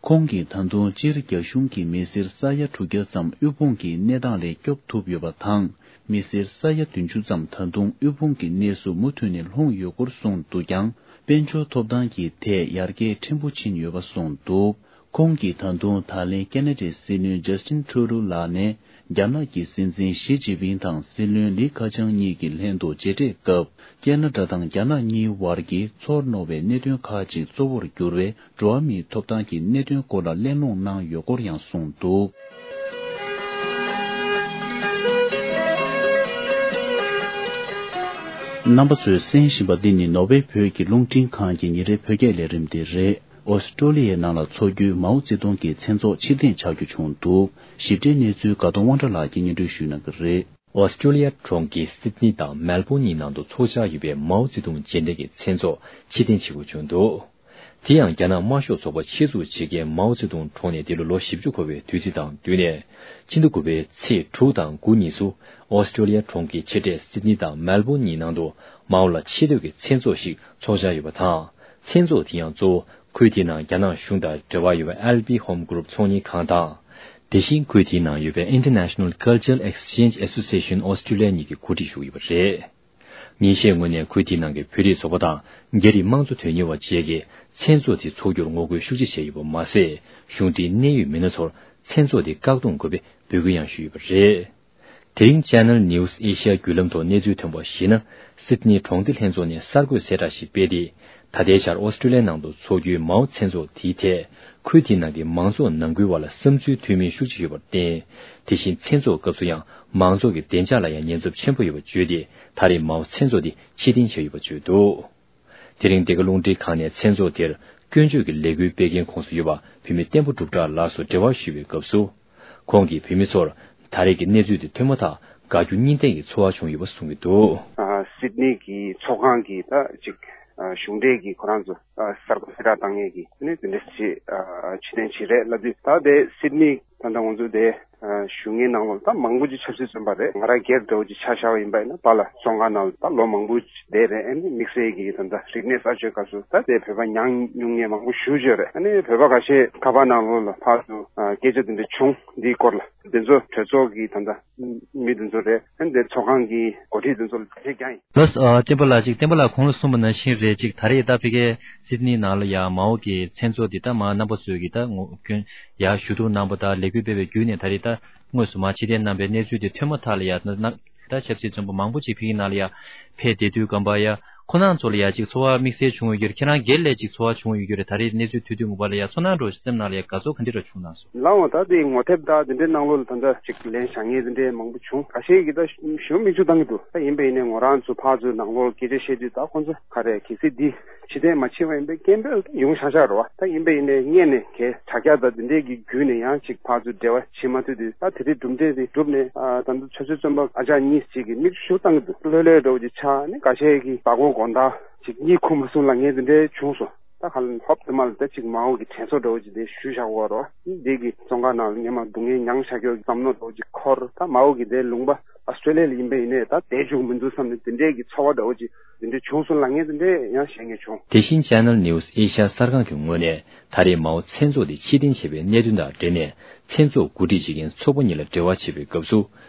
ཁོང་གིས་ད་དུང་སྤྱིར་རྒྱ་གཞུང་གིས་མི་སེར་ས་ཡ་དྲུག་བརྒྱ་ཙམ་དབུལ་ཕོངས་ཀྱི་གནས་སྟངས་ལས་སྐྱོབ་ཐུབ་ཡོད་པ་དང་། མི་སེར་ས་ཡ་བདུན་ཅུ་ཙམ་ད་དུང་དབུལ་ཕོངས་ཀྱི་གནས་སུ་མུ་མཐུད་ནས་ལྷུང་ཡོད་སྐོར་གསུངས་འདུག་ཀྱང་། དཔལ་འབྱོར་ཐོབ་ཐང་གི་ཐད་ཡར་རྒྱས་ཕྲན་བུ་ཕྱིན་ཡོད་པ་གསུངས་འདུག། ཁོང་གིས་ད་དུང་ད་ལན་ཁེ་ན་ཌའི་སྲིད་བློན་ཇཱ་སི་ཊིན་ཁྲུ་ཌོ་ལགས་ནས། རྒྱ་ནག་གི་སྲིད་འཛིན་ཞི་ཅིན་ཕིང་དང་སྲིད་བློན་ལི་ཁེ་ཆང་གཉིས་ཀྱི་ལྷན་དུ་མཇལ་འཕྲད་སྐབས། ཁེ་ན་ཌ་དང་རྒྱ་ནག་གཉིས་བར་གྱི་ཚོར་རྣོ་བའི་གནད་དོན་ཁག་ཅིག་གཙོ་བོར་གྱུར་བའི་འགྲོ་བ་མིའི་ཐོབ་ཐང་གི་གནད་དོན་སྐོར་ལ་གླེང་སློང་གནང་ཡོད་སྐོར་ཡང་གསུངས་འདུག། རྣམ་པ་ཚོས་གསན་བཞིན་པ་འདི་ནི་ནོར་ཝེ་བོད་ཀྱི་རླུང་འཕྲིན་ཁང་གི་ཉིན་རེའི་བོད་སྐད་ལས་རིམ་དེ་རེད། ཨོ་སི་ཀྲོ་ལི་ཡའི་ནང་ལ་འཚོགས་རྒྱུའི་མའོ་ཙེ་ཏུང་གི་མཚན་ཚོགས་ཕྱིར་འཐེན་བྱ་རྒྱུ་བྱུང་འདུག། ཞིབ་ཕྲའི་གནས་ཚུལ་དགའ་གདོང་དབང་གྲགས་ལགས་ཀྱིས་སྙན་སྒྲོན་ཞུ་གནང་གི་རེད། ཨོ་སི་ཀྲོ་ལི་ཡ་གྲོང་ཁྱེར་སིད་ནི་དང་མེལ་བོན་གཉིས་ནང་དུ་འཚོགས་འཆར་ཡོད་པའི་མའོ་ཙེ་ཏུང་རྗེས་དྲན་གྱི་མཚན་ཚོགས་ཕྱིར་འཐེན་བྱེད་དགོས་བྱུང་འདུག། དེ་ཡང་རྒྱ་ནག་དམར་ཤོག་ཚོགས་པ་ཆེད་འཛུགས་བྱེད་མཁན་མའོ་ཙེ་ཏུང་གྲོངས་ནས་འདི་ལོ་ལོ་བཞི་བཅུ་འཁོར་བའི་དུས་ཚིགས་དང་བསྟུན་ནས། སྤྱི་ཟླ་དགུ་པའི་ཚེས་དྲུག་དང་དགུ་གཉིས་སུ། ཨོ་སི་ཀྲོ་ལི་ཡ་གྲོང་ཁྱེར་ཆེ་གྲས་སིད་ནི་དང་མེལ་བོན་གཉིས་ནང་དུ་མའོ་ལ་ཆེ་བསྟོད་ཀྱི་མཚན་ཚོགས་ཤིག་འཚོགས་འཆར་ཡོད་པ་དང་། མཚན་ཚོགས་དེ་ཡང་གཙོ་བོ་ཁུལ་དེའི་ནང་རྒྱ་ནག་གཞུང་དང་འབྲེལ་བ་ཡོད་པའི་ཨེལ་པི་ཧོམ་གྷུ་རུབ་ཚོང་གཉེར་ཁང་དང་། དེ་བཞིན་ཁུལ་དེའི་ནང་ཡོད་པའི་International Cultural Exchange Association Australia་གཉིས་ཀྱིས་གོ་སྒྲིག་ཞུས་ཡོད་པ་རེད། ཉིན་ཤས་སྔོན་ནས་ཁུལ་དེའི་ནང་གི་བོད་རིགས་ཚོགས་པ་དང་རྒྱ་རིགས་དམངས་གཙོ་དོན་གཉེར་བ་བཅས་ཀྱིས་མཚན་ཚོགས་དེ་འཚོགས་རྒྱུར་ངོ་རྒོལ་ཤུགས་ཆེ་བྱས་ཡོད་པ་མ་ཟད། གཞུང་འབྲེལ་གནད་ཡོད་མི་སྣ་ཚོར་མཚན་ཚོགས་དེ་བཀག་སྡོམ་དགོས་པའི་འབོད་སྐུལ་ཡང་ཞུས་ཡོད་པ་རེད། དེ་རིང་Channel News Asia་བརྒྱུད་ལམ་ཐོག་གནས་ཚུལ་ཐོན་པར་གཞིགས་ན། སིད་ནི་གྲོང་སྡེ་ལྷན་ཚོགས་ནས་གསར་འགོད་གསལ་བསྒྲགས་ཤིག་སྤེལ་ཏེ། ད་ལྟའི་ཆར་ཨོ་སི་ཀྲོ་ལི་ཡའི་ནང་དུ་འཚོགས་རྒྱུའི་མའོ་མཚན་ཚོགས་དེའི་ཐད། ཁུལ་དེའི་ནང་གི་མང་ཚོགས་ནང་ཁུལ་བར་ལ་བསམ་ཚུལ་མཐུན་མིན་ཤུགས་ཆེ་ཡོད་པར་བརྟེན། དེ་བཞིན་མཚན་ཚོགས་སྐབས་སུ་ཡང་མང་ཚོགས་ཀྱི་བདེ་འཇགས་ལ་ཡང་ཉེན་ཚབས་ཆེན་པོ་ཡོད་པ་བརྗོད་དེ། ད་རེས་མའོ་མཚན་ཚོགས་དེ་ཕྱིར་འཐེན་བྱས་ཡོད་པ་བརྗོད་འདུག། དེ་རིང་འདི་ག་རླུང་འཕྲིན་ཁང་ནས་མཚན་ཚོགས་དེར་སྐྱོན་བརྗོད་ཀྱི་ལས་འགུལ་སྤེལ་མཁན་ཁོངས་སུ་ཡོད་པ་བུད་མེད་བསྟན་པ་འབྲུག་གྲགས་ལགས་སུ་འབྲེལ་བ་ཞུས་པའི་སྐབས་སུ། ཁོང་གིས་བོད་མི་ཚོར་ད་རེས་ཀྱི་གནས་ཚུལ་དེ་ཐོས་མ་ཐག་དགའ་སྐྱོ་གཉིས་ལྡན་གྱི་ཚོར་བ་བྱུང་ཡོད་པ་གསུངས་ཀྱི་འདུག། ཨ། སིད་ནི་གི་ཚོགས་ཁང་གི་ད་ཅིག་ཨ། གཞུང་འབྲེལ་གྱི་ཁོ་རང་ཚོ་ཨ། གསར་འགོད་གསལ་བསྒྲགས་བཏང་མཁན་གྱི་དེ་ནས་དེ་འདྲ་ཞིག་ཨ། ཕྱིར་འཐེན་བྱས་རེད་ལབ་དུས། ད་དེ་སིད་ནི་ད་ལྟ་ང་ཚོ་དེ་ཨ། བཞུགས་མཁན་ནང་ལོགས་ད་མང་པོ་ཅིག་ཆབ་སྲིད་བཙོན་པ་རེད། ང་རང་སྒེར་འདྲ་བོ་ཅིག་ཆ་བཞག་པ་ཡིན་པ་ཡིན་ན། ཕར་ལ་བཙོན་ཁང་ནང་ལ་ད་ལོ་མང་པོ་བསྡད་རེད། ཨ་ནི་དམིགས་བསལ་གྱི་ད་ལྟ་རིག་གནས་གསར་བརྗེའི་སྐབས་སུ་ད་དེ་བོད་པ་མྱངས་མྱོང་མཁན་མང་པོ་ཞེ་པོ་ཅིག་ཡོད་རེད། ཨ་ནི་བོད་པ་ཁ་ཤས་ཁ་པར་ནང་ལོགས་ལ་ཕར་ཚུར་ཨ། སྐད་ཆ་དེ་འདྲ་བྱུང་། འདིའི་སྐོར་ལ་དེ་ཚོ་གྲོས་ཚོགས་ཀྱི་ད་ལྟ་མི་དེ་ཚོ་རེད། ཨ་ནི་དེ་ཚོགས་ཁང་གི་འགོ་ཁྲིད་དེ་ཚོ་ལ་ཐུགས་རྗེ་ཆེ་ཞུ་ཡིན། ལགས་སོ། ཨ། བསྟན་པ་ལགས། ཅིག་བསྟན་པ་ལགས་གོང་ལ་གསུངས་པ་ནང་བཞིན་རེད། ཅིག་ད་རེས་ད་ཕ་གིའི་སིད་ནི་ནང་ལ་ཡ་མའོ་གི་མཚན་ཚོགས་འདི་ད་མར་རྣམ་པ་ཚོས་ཀྱི་ད་ངོ་སྐྱོན་ཡ་ཞུ་གཏུག་གནང་པ་དང་ལས་འགུལ་སྤེལ་བའི་བརྒྱུད་ནས་ད་རེས་ད་དངོས་སུ་མར་ཕྱིར་འཐེན་གནང་པའི་གནས་ཚུལ་དེ་ཐོས་མ་ཐག་ལ་ཡ་ན་ན་ད་ཆབ་སྲིད་བཙོན་པ་མང་པོ་ཅིག་ཕ་གིའི་ནང་ལ་ཡ་ཕེབས་བསྡད་དུས་སྒང་པ་ཡ་ཁོ་རང་ཚོ་ལ་ཡ་ཅིག་ཚོར་བ་དམིགས་བསལ་བྱུང་ཡོད་རྒྱུ་རེད། ཁྱེད་རང་སྒེར་ལ་ཅིག་ཚོར་བ་བྱུང་ཡོད་རྒྱུ་རེད། ད་རེས་གནས་ཚུལ་ཐོས་དུས་ངོ་མ་ལ་ཡ་ཚོར་སྣང་འདྲ་བོ་ཞིག་སེམས་ནང་ལ་ཡ་དགའ་ཚོར་ག་འདྲ་འདྲ་བྱུང་སྣང་སོང་། ལགས་འོང་། ད་དེ་ངོ་དེབ་དང་དེ་འདྲའི་ནང་ལོགས་ལ་ད་ལྟ་ཅིག་ལན་བཞག་མཁན་དེ་འདྲའི་མང་པོ་བྱུང་། ཁ་ཤས་ཀྱིས་ད་ཞུ་མིག་ཆུ་བཏང་གི་འདུག། ད་ཡིན་པ་ཡིན་ནའི་ང་རང་ཚོ་ཕར་ཚུར་ནང་ལོགས་སྐད་ཆ་བཤད་དུས་ད་ཁོང་ཚོ་ག་རེ་གལ་སྲིད་འདི་ཕྱིར་འཐེན་མ་བྱས་པ་ཡིན་པའི་སྐད་འབོད་ད་ཡོང་ཤག་ཤག་རེད་བ། ད་ཡིན་པ་ཡིན་ནའི་སྔོན་ནས་གའི་དྲ་རྒྱ་དང་དེ་འདྲའི་གི་བརྒྱུད་ནས་ཡང་ཅིག་ཕར་ཚུར་འབྲེལ་བ་བྱེད་མ་ཐུབ་དུས། ད་དེ་རིང་གྲུབ་འབྲས་དེ་གྲུབ་ནས་ཨ། ད་ལྟ་ཆབ་སྲིད་བཙོན་པ་ཨ་ཅག་གཉིས་ཅིག་གིས་མིག་ཆུ་བཏང་གི་འདུག། ལྷོད་ལྷོད་འདྲ་བོ་ཅིག་ཆགས་ནས་ཁ་ཤས་ཀྱིས་བདག་པོ་དགོང་དག་ཅིག་གཉིད་ཁུག་མ་སོང་ལབ་མཁན་དེ་འདྲའི་བྱུང་སོང་། ད་ག་ལ་ཧོབ་དེ་མ་ལ་ད་ཅིག་མའོ་གི་དྲན་གསོ་འདྲ་བོ་ཅིག་དེ་ཞུས་བཞག་གོ་རོ། འདི་གི་བཙོན་ཁང་ནང་ལ་སྔོན་མ་སྡུག་བསྔལ་མྱངས་བཞག་རྒྱུ་གི་བསམ་མནོ་འདྲ་བོ་ཅིག་འཁོར། ད་མའོ་གི་དེ་ལུང་པ་ཨོ་སི་ཀྲོ་ལི་ཡ་ལ་ཡིན་པ་ཡིན་ནའི་ད་བསྡད་བཅུག་མི་འདུག་བསམ་ནས་དེ་འདྲའི་གི་ཚོར་བ་འདྲ་བོ་ཅིག་དེ་འདྲའི་བྱུང་སོང་ལབ་མཁན་དེ་འདྲའི་ཡང་བཤད་མཁན་བྱུང་། དེ་བཞིན་Channel News Asia་གསར་ཁང་གི་ངོས་ནས་ད་རེས་མའོ་མཚན་ཚོགས་དེ་ཕྱིར་འཐེན་བྱས་པའི་གནད་དོན་དང་འབྲེལ་ནས། མཚན་ཚོགས་གོ་སྒྲིག་བྱེད་མཁན་ཚོགས་པ་གཉིས་ལ་འབྲེལ་བ་བྱེད་པའི་སྐབས་སུ།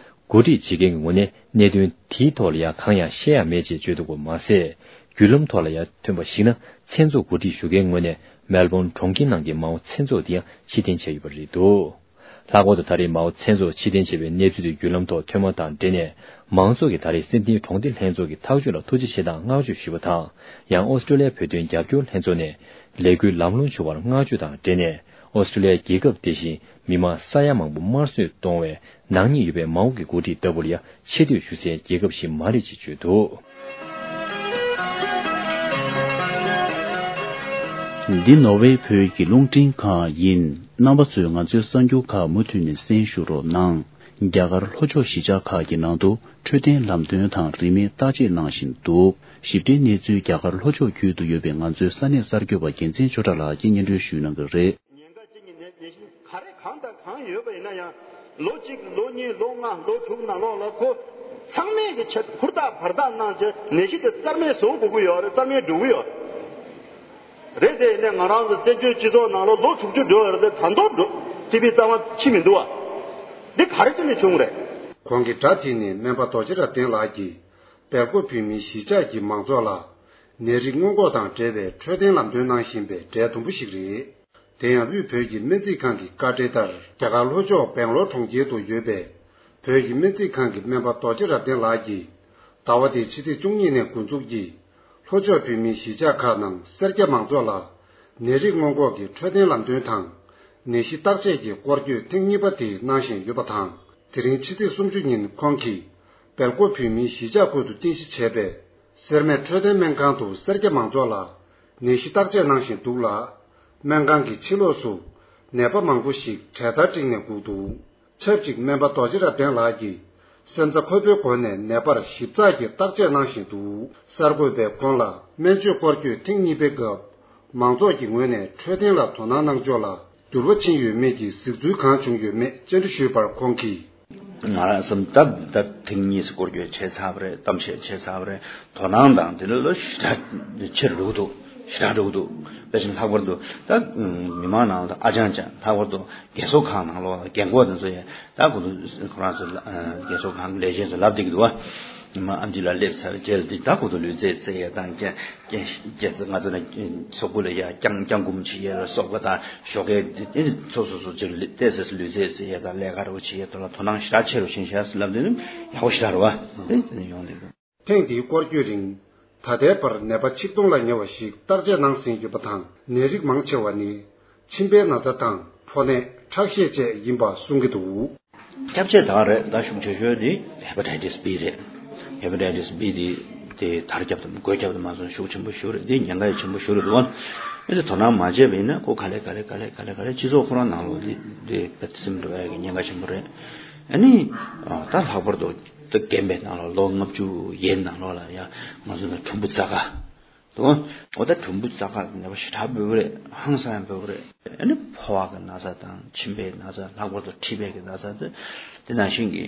གོ་སྒྲིག་བྱེད་མཁན་གྱི་ངོས་ནས་གནད་དོན་དེའི་ཐོག་ལ་ཡང་གང་ཡང་བཤད་ཡ་མེད་ཅེས་བརྗོད་འདུག་པ་མ་ཟད། བརྒྱུད་ལམ་ཐོག་ལ་ཡང་ཐོན་པར་གཞིགས་ན། མཚན་ཚོགས་གོ་སྒྲིག་ཞུ་མཁན་ངོས་ནས་མེལ་བོན་གྲོང་ཁྱེར་ནང་གི་མའོ་མཚན་ཚོགས་དེ་ཡང་ཕྱིར་འཐེན་བྱས་ཡོད་པ་རེད་འདུག། ལྷག་པར་དུ་ད་རེས་མའོ་མཚན་ཚོགས་ཕྱིར་འཐེན་བྱས་པའི་གནས་ཚུལ་དེ་བརྒྱུད་ལམ་ཐོག་ཐོན་པ་དང་འབྲེལ་ནས། མང་ཚོགས་ཀྱིས་ད་རེས་སིད་ནི་གྲོང་སྡེ་ལྷན་ཚོགས་ཀྱི་ཐག་གཅོད་ལ་ཐུགས་རྗེ་ཆེ་དང་བསྔགས་བརྗོད་ཞུས་པ་དང་། ཡང་ཨོ་སི་ཀྲོ་ལི་ཡ་བོད་དོན་རྒྱབ་སྐྱོར་ལྷན་ཚོགས་ནས་ལས་འགུལ་ལམ་ལྷོང་བྱུང་བར་བསྔགས་བརྗོད་དང་འབྲེལ་ནས། ཨོ་སི་ཀྲུ་ལི་ཡ་རྒྱལ་ཁབ་དེ་བཞིན་མི་མང་ས་ཡ་མང་པོ་དམར་གསོད་གཏོང་བའི་ནག་ཉེས་ཡོད་པའི་མའོ་གི་འགོ་ཁྲིད་ལྟ་བུར་ཡང་ཆེ་བསྟོད་ཞུ་སའི་རྒྱལ་ཁབ་ཞིག་མ་རེད་ཅེས་བརྗོད་འདུག། འདི་ནོར་ཝེ་བོད་ཀྱི་རླུང་འཕྲིན་ཁང་ཡིན། རྣམ་པ་ཚོས་ང་ཚོའི་གསར་འགྱུར་ཁག་མུ་མཐུད་ནས་གསན་ཞུ་རོགས་གནང་། རྒྱ་གར་ལྷོ་ཕྱོགས་གཞིས་ཆགས་ཁག་གི་ནང་དུ་འཕྲོད་བསྟེན་ལམ་སྟོན་དང་རིན་མེད་བརྟག་དཔྱད་གནང་བཞིན་འདུག། ཞིབ་ཕྲའི་གནས་ཚུལ་རྒྱ་གར་ལྷོ་ཕྱོགས་ཁུལ་དུ་ཡོད་པའི་ང་ཚོའི་ས་གནས་གསར་འགོད་པ་རྒྱལ་མཚན་ཆོས་གྲགས་ལགས་ཀྱིས་སྙན་སྒྲོན་ཞུ་གནང་གི་རེད། ཉེན་ཁ་ཅན་གྱི་ནད་ནད་གཞི་ག་རེ་གང་དང་གང་ཡོད་པ་ཡིན་ན་ཡང་། ལོ་གཅིག་ལོ་གཉིས་ལོ་ལྔ་ལོ་དྲུག་ནང་ལོགས་ལ་ཁོ་ཚང་མས་ཀྱི་ཆེད་ཧུར་ཐག་བར་ཐག་གནང་བྱས་ནད་གཞི་དེ་རྩ་མེད་བཟོ་དགོས་ཀྱི་ཡོད་རེད། རྩ་མེད་འགྲོ་གི་ཡོད་རེད། དེ་ཡིན་ནའི་ང་རང་ཚོ་བཙན་བྱོལ་སྤྱི་ཚོགས་ནང་ལོ་ལོ་དྲུག་ཅུ་འགྲོ་ཡོད་རེད་དེ་ད་དུང་འགྲོ་ཏི་བི་རྩ་བ་ཕྱིན་མི་འདུག་བ། འདི་ག་རེ་བྱས་ནས་བྱུང་རེད། ཁོང་གིས་སྒྲ་དེ་ནི་སྨན་པ་རྡོ་རྗེ་རབ་བརྟན་ལགས་ཀྱིས་སྦེལ་ཀོབ་བོད་མིའི་གཞིས་ཆགས་ཀྱི་མང་ཚོགས་ལ་ནད་རིགས་སྔོན་འགོག་དང་འབྲེལ་བའི་འཕྲོད་བསྟེན་ལམ་སྟོན་གནང་བཞིན་པའི་གྲས་དུམ་བུ་ཞིག་རེད། དེ་ཡང་དབུས་བོད་ཀྱི་སྨན་རྩིས་ཁང་གི་བཀའ་འཁྲོལ་ལྟར་རྒྱ་གར་ལྷོ་ཕྱོགས་སྦེང་ལོར་གྲོང་ཁྱེར་དུ་ཡོད་པའི་བོད་ཀྱི་སྨན་རྩིས་ཁང་གི་སྨན་པ་རྡོ་རྗེ་རབ་བརྟན་ལགས་ཀྱིས་ཟླ་བ་འདིའི་ཕྱི་ཚེས་བཅུ་གཉིས་ནས་འགོ་འཛུགས་ཀྱིས་ལྷོ་ཕྱོགས་བོད་མིའི་གཞིས་ཆགས་ཁག་ནང་སེར་སྐྱ་མང་ཚོགས་ལ་ནད་རིགས་སྔོན་འགོག་གི་འཕྲོད་བསྟེན་ལམ་སྟོན་དང་། ནད་གཞི་བརྟག་དཔྱད་ཀྱི་སྐོར་སྐྱོད་ཐེངས་གཉིས་པ་དེ་གནང་བཞིན་ཡོད་པ་དང་། དེ་རིང་ཕྱི་ཚེས་སུམ་ཅུ་ཉིན་ཁོང་གིས་སྦེལ་ཀོབ་བོད་མིའི་གཞིས་ཆགས་ཁུལ་དུ་རྟེན་གཞི་བྱས་པའི་སེར་སྨད་འཕྲོད་བསྟེན་སྨན་ཁང་དུ་སེར་སྐྱ་མང་ཚོགས་ལ་ནད་གཞི་བརྟག་དཔྱད་གནང་བཞིན་འདུག་ལ། སྨན་ཁང་གི་ཕྱི་ལོགས་སུ་ནད་པ་མང་པོ་ཞིག་གྲལ་སྟར་བསྒྲིགས་ནས་སྒུག་འདུག། ཆབས་ཅིག་སྨན་པ་རྡོ་རྗེ་རབ་བརྟན་ལགས་ཀྱིས་སེམས་རྩ་འཁོལ་པོའི་སྒོ་ནས་ནད་པར་ཞིབ་ཚགས་ཀྱིས་བརྟག་དཔྱད་གནང་བཞིན་འདུག། གསར་འགོད་པས་ཁོང་ལ་སྨན་བཅོས་སྐོར་སྐྱོད་ཐེངས་གཉིས་པའི་སྐབས་མང་ཚོགས་ཀྱི་ངོས་ནས་འཕྲོད་བསྟེན་ལ་དོ་སྣང་གནང་ཕྱོགས་ལ་འགྱུར་བ་ཕྱིན་ཡོད་མེད་ཀྱི་གཟིགས་ཚུལ་གང་བྱུང་ཡོད་མེད་བཅར་འདྲི་ཞུས་པར་ཁོང་གིས། ང་རང་བསམ་ད་ད་ཐེངས་གཉིས་སུ་སྐོར་སྐྱོད་བྱས་ཚར་བ་རེད། གཏམ་བཤད་བྱས་ཚར་བ་རེད། དོ་སྣང་དང་དེ་ལ་ལོ་ཞེ་དྲག་ཆེར་འགྲོ་གི་འདུག། ཞེ་དྲག་འགྲོ་གི་འདུག། དཔེ་ཆ་ལྷག་པར་དུ་ད་མི་མང་ནང་ལ་ཨ་ཅང་ཅང་ལྷག་པར་དུ་རྒས་གསོ་ཁང་ནང་ལོགས་ལ་རྒན་གོག་དེ་ཚོ་ཡང་ད་ཁོ་ཚོ་ཁོ་རང་ཚོ་རྒས་གསོ་ཁང་ལས་བྱེད་ཚོ་ལབ་བསྡད་ཀྱི་འདུག་བ། མ་ཨམ་ཆི་ལ་སླེབས་ཚར་རྗེས་ལ་འདི་ད་ཁོ་ཚོ་ལུས་རྩལ་རྩེ་ཡས་དང་རྒྱ་རྒྱ་ང་ཚོ་ནས་སོག་པོ་ལ་ཡ་རྐྱང་རྐྱང་འགུམ་བྱེད་ཡས་ལ་སོགས་པ་དང་ཞོགས་ཀས་འདི་འདི་སོ་སོ་སོ་ཅིག་ལུས་རྩལ་ལུས་རྩལ་རྩེ་ཡས་དང་ལས་ཀ་རོ་བྱེད་ཡས་དང་ལ་དོ་སྣང་ཞེ་དྲག་ཆེ་རུ་ཕྱིན་ཤག་ལབ་དུས་ཡག་པོ་ཞེ་དྲག་རེད་བ། དེ་ཡོང་དེ། ཐེངས་འདིའི་སྐོར་སྐྱོད་རིང་། ད་ལྟའི་བར་ནད་པ་ཆིག་སྟོང་ལ་ཉེ་བ་ཞིག་བརྟག་དཔྱད་གནང་ཟིན་ཡོད་པ་དང་། ནད་རིགས་མང་ཆེ་བ་ནི་མཆིན་པའི་ན་ཚ་དང་ཕོ་ནད། ཁྲག་ཤེད་བཅས་ཡིན་པ་གསུང་གི་འདུག། ཁྱབ་ཆེ་དག་རེད། ད་ཤུགས་ཆེ་ཤོས་དེ་Hepatitis B རེད། Hepatitis B དེ་དེ་དར་ཁྱབ་དང་འགོས་ཁྱབ་དང་མ་སོང་ཤུགས་ཆེན་པོ་ཞིག་རེད། དེ་ཉེན་ཁ་ཆེན་པོ་ཞིག་རེད་འདུག། ཨ་ནི་དོ་སྣང་མ་བྱས་པ་ཡིན་ན་ཁོ་ག་ལེ་ག་ལེ་ག་ལེ་ག་ལེ་ག་ལེ་སྤྱི་ཚོགས་ཁོ་རང་ནང་ལོགས་དེ་དེ་སེམས་འགྲོ་ཡ་གི་ཉེན་ཁ་ཆེན་པོ་རེད། ཨ་ནི་ད་ལྷག་པར་དུ། ད་རྒན་པའི་ནང་ལ་ལོ་ལྔ་བཅུ་ཡན་ནང་ལོགས་ལ་ཡ་ང་ཚོ་ནི་གྲུམ་བུ་རྩ་ཁ་དང་། འོ་ད་གྲུམ་བུ་རྩ་ཁ་ནད་པ་ཞེ་དྲག་འབོད་པ་རེད། ཧང་སང་ཡང་འབོད་པ་རེད། ཨ་ནི་ཕོ་བ་གི་ན་ཚ་དང་མཆིན་པའི་ན་ཚ། ལྷག་པར་དུ་མཁྲིས་པའི་གི་ན་ཚ་དེ་དེ་ནང་བཞིན་གྱི་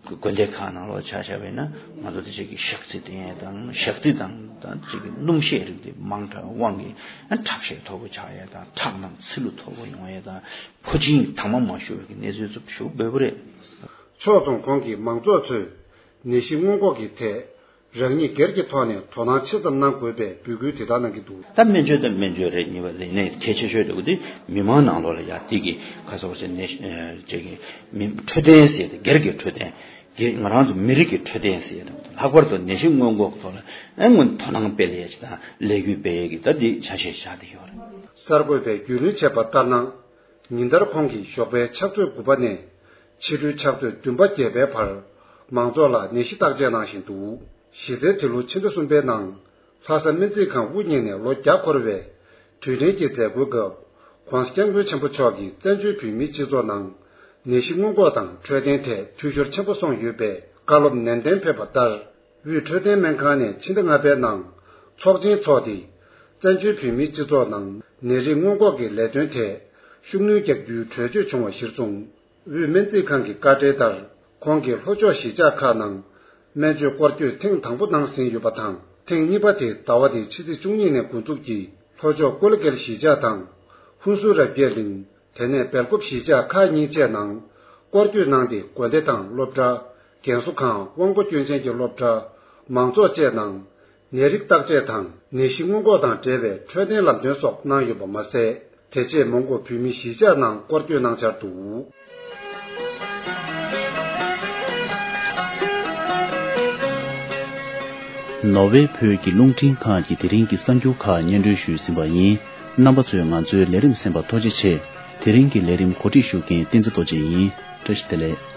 དགོན་སྡེ་ཁག་ནང་ལོགས་ཆ་བཞག་པ་ཡིན་ན་ང་ཚོ་དེ་ཅིག་གི་ཞག་རྩི་བསྟེན་ཡས་དང་ཞག་རྩི་དང་དང་ཅིག་གི་སྣུམ་ཤས་རིགས་དེ་མང་དྲགས་དབང་གིས་ཨ་ཁྲག་ཤས་མཐོ་པོ་ཆགས་ཡས་དང་ཁྲག་ནང་ཚིལ་ལུ་མཐོ་པོ་ཡོང་ཡས་དང་ཕོ་ཆེན་དྭངས་མ་མ་ཞུ་བའི་གི་གནས་ཚུལ་ཚོ་ཞུ་འབོད་པ་རེད། ཕྱོགས་མཚུངས་ཁོང་གིས་མང་ཚོགས་ཚོས་ནད་གཞི་སྔོན་འགོག་གི་ཐད་རང་ཉིད་སྒེར་གྱི་ཐོག་ནས་དོ་སྣང་ཆེ་ཙམ་གནང་དགོས་པའི་འབོད་སྐུལ་དེ་དག་གནང་གི་འདུག། ད་སྨན་བཅོས་དང་སྨན་བཅོས་རེད། གཉིས་པ་དེ་ནས་གལ་ཆེ་ཤོས་དེ་འདི་མི་མང་ནང་ལོགས་ལ་ཡ་དེ་གི་ཁ་སོགས་ཟེར་ནས་ཅིག་གི་མི་འཕྲོད་བསྟེན་ཟེར་ཏེ་སྒེར་གྱི་འཕྲོད་བསྟེན་གྱི་ང་རང་ཚོ་མི་རིགས་ཀྱི་འཕྲོད་བསྟེན་ཟེར་ཏེ་ལྷག་པར་དུ་ནད་གཞི་སྔོན་འགོག་གི་ཐོག་ལ་ཨེ་སྔོན་དོ་སྣང་སྤེལ་ཡས་ཅིག་དང་ལས་འགུལ་སྤེལ་ཡས་ཀྱི་ད་འདི་ཆ་ཤས་བཞག་བསྡད་ཡོད་རེད། གསར་འགོད་པས་རྒྱུས་ལོན་བྱས་པ་ལྟར་ན། ཉིན་ལྟར་ཁོང་གིས་ཞོགས་པའི་ཕྱག་ཚོད་དགུ་པ་ནས་ཕྱི་དྲོའི་ཕྱག་ཚོད་བདུན་པ་བརྒྱད་པའི་བར་མང་ཚོགས་ལ་ནད་གཞི་བརྟག་དཔྱད་གནང་བཞིན་འདུག། གཞི་རྩའི་དེ་ལོ་ཕྱི་ཟླ་གསུམ་པའི་ནང་ལྷ་ས་སྨན་རྩིས་ཁང་དབུ་བརྙེས་ནས་ལོ་བརྒྱ་འཁོར་བའི་དུས་དྲན་གྱི་མཛད་སྒོའི་སྐབས་༧གོང་ས་༧སྐྱབས་མགོན་ཆེན་པོ་མཆོག་གིས་བཙན་བྱོལ་བོད་མིའི་སྤྱི་ཚོགས་ནང་ནད་གཞི་སྔོན་འགོག་དང་འཕྲོད་བསྟེན་ཐད་འཐུས་ཤོར་ཆེན་པོ་སོང་ཡོད་པའི་བཀའ་སློབ་ནན་ཏན་ཕེབས་པ་ལྟར། དབུས་འཕྲོད་བསྟེན་སྨན་ཁང་ནས་ཕྱི་ཟླ་ལྔ་པའི་ནང་ཚོགས་ཆེན་འཚོགས་ཏེ། བཙན་བྱོལ་བོད་མིའི་སྤྱི་ཚོགས་ནང་ནད་རིགས་སྔོན་འགོག་གི་ལས་དོན་ཐད་ཤུགས་སྣོན་རྒྱག་རྒྱུའི་གྲོས་ཆོད་བྱུང་བ་གཞིར་བཟུང་། དབུས་སྨན་རྩིས་ཁང་གི་བཀའ་འཁྲོལ་ལྟར། ཁོང་གིས་ལྷོ་ཕྱོགས་གཞིས་ཆགས་ཁག་ནང་སྨན་བཅོས་སྐོར་སྐྱོད་ཐེངས་དང་པོ་གནང་ཟིན་ཡོད་པ་དང་། ཐེངས་གཉིས་པ་དེ་ཟླ་བ་འདིའི་ཕྱི་ཚེས་བཅུ་གཉིས་ནས་འགོ་འཛུགས་ཀྱིས་ལྷོ་ཕྱོགས་ཀོ་ལི་གྷལ་གཞིས་ཆགས་དང་། ཧུན་སུར་རབ་རྒྱས་གླིང་། དེ་ནས་སྦེལ་ཀོབ་གཞིས་ཆགས་ཁག་གཉིས་བཅས་ནང་སྐོར་སྐྱོད་གནང་སྟེ། དགོན་སྡེ་དང་སློབ་གྲྭ། རྒན་གསོ་ཁང་། དབང་པོ་སྐྱོན་ཅན་གྱི་སློབ་གྲྭ། མང་ཚོགས་བཅས་ནང་ནད་རིགས་བརྟག་དཔྱད་དང་ནད་གཞི་སྔོན་འགོག་དང་འབྲེལ་བའི་འཕྲོད་བསྟེན་ལམ་སྟོན་སོགས་གནང་ཡོད་པ་མ་ཟད། དེ་རྗེས་མོན་གྷོ་བོད་མིའི་གཞིས་ཆགས་ནང་སྐོར་སྐྱོད་གནང་འཆར་འདུག། ནོར་ཝེ་བོད་ཀྱི་རླུང་འཕྲིན་ཁང་གི་དེ་རིང་གི་གསར་འགྱུར་ཁག་སྙན་སྒྲོན་ཞུས་ཟིན་པ་ཡིན། རྣམ་པ་ཚོས་ང་ཚོའི་ལས་རིམ་གསན་པར་ཐུགས་རྗེ་ཆེ། དེ་རིང་གི་ལས་རིམ་གོ་སྒྲིག་ཞུ་མཁན་བསྟན་འཛིན་རྡོ་རྗེ་ཡིན། བཀྲ་ཤིས་བདེ་ལེགས།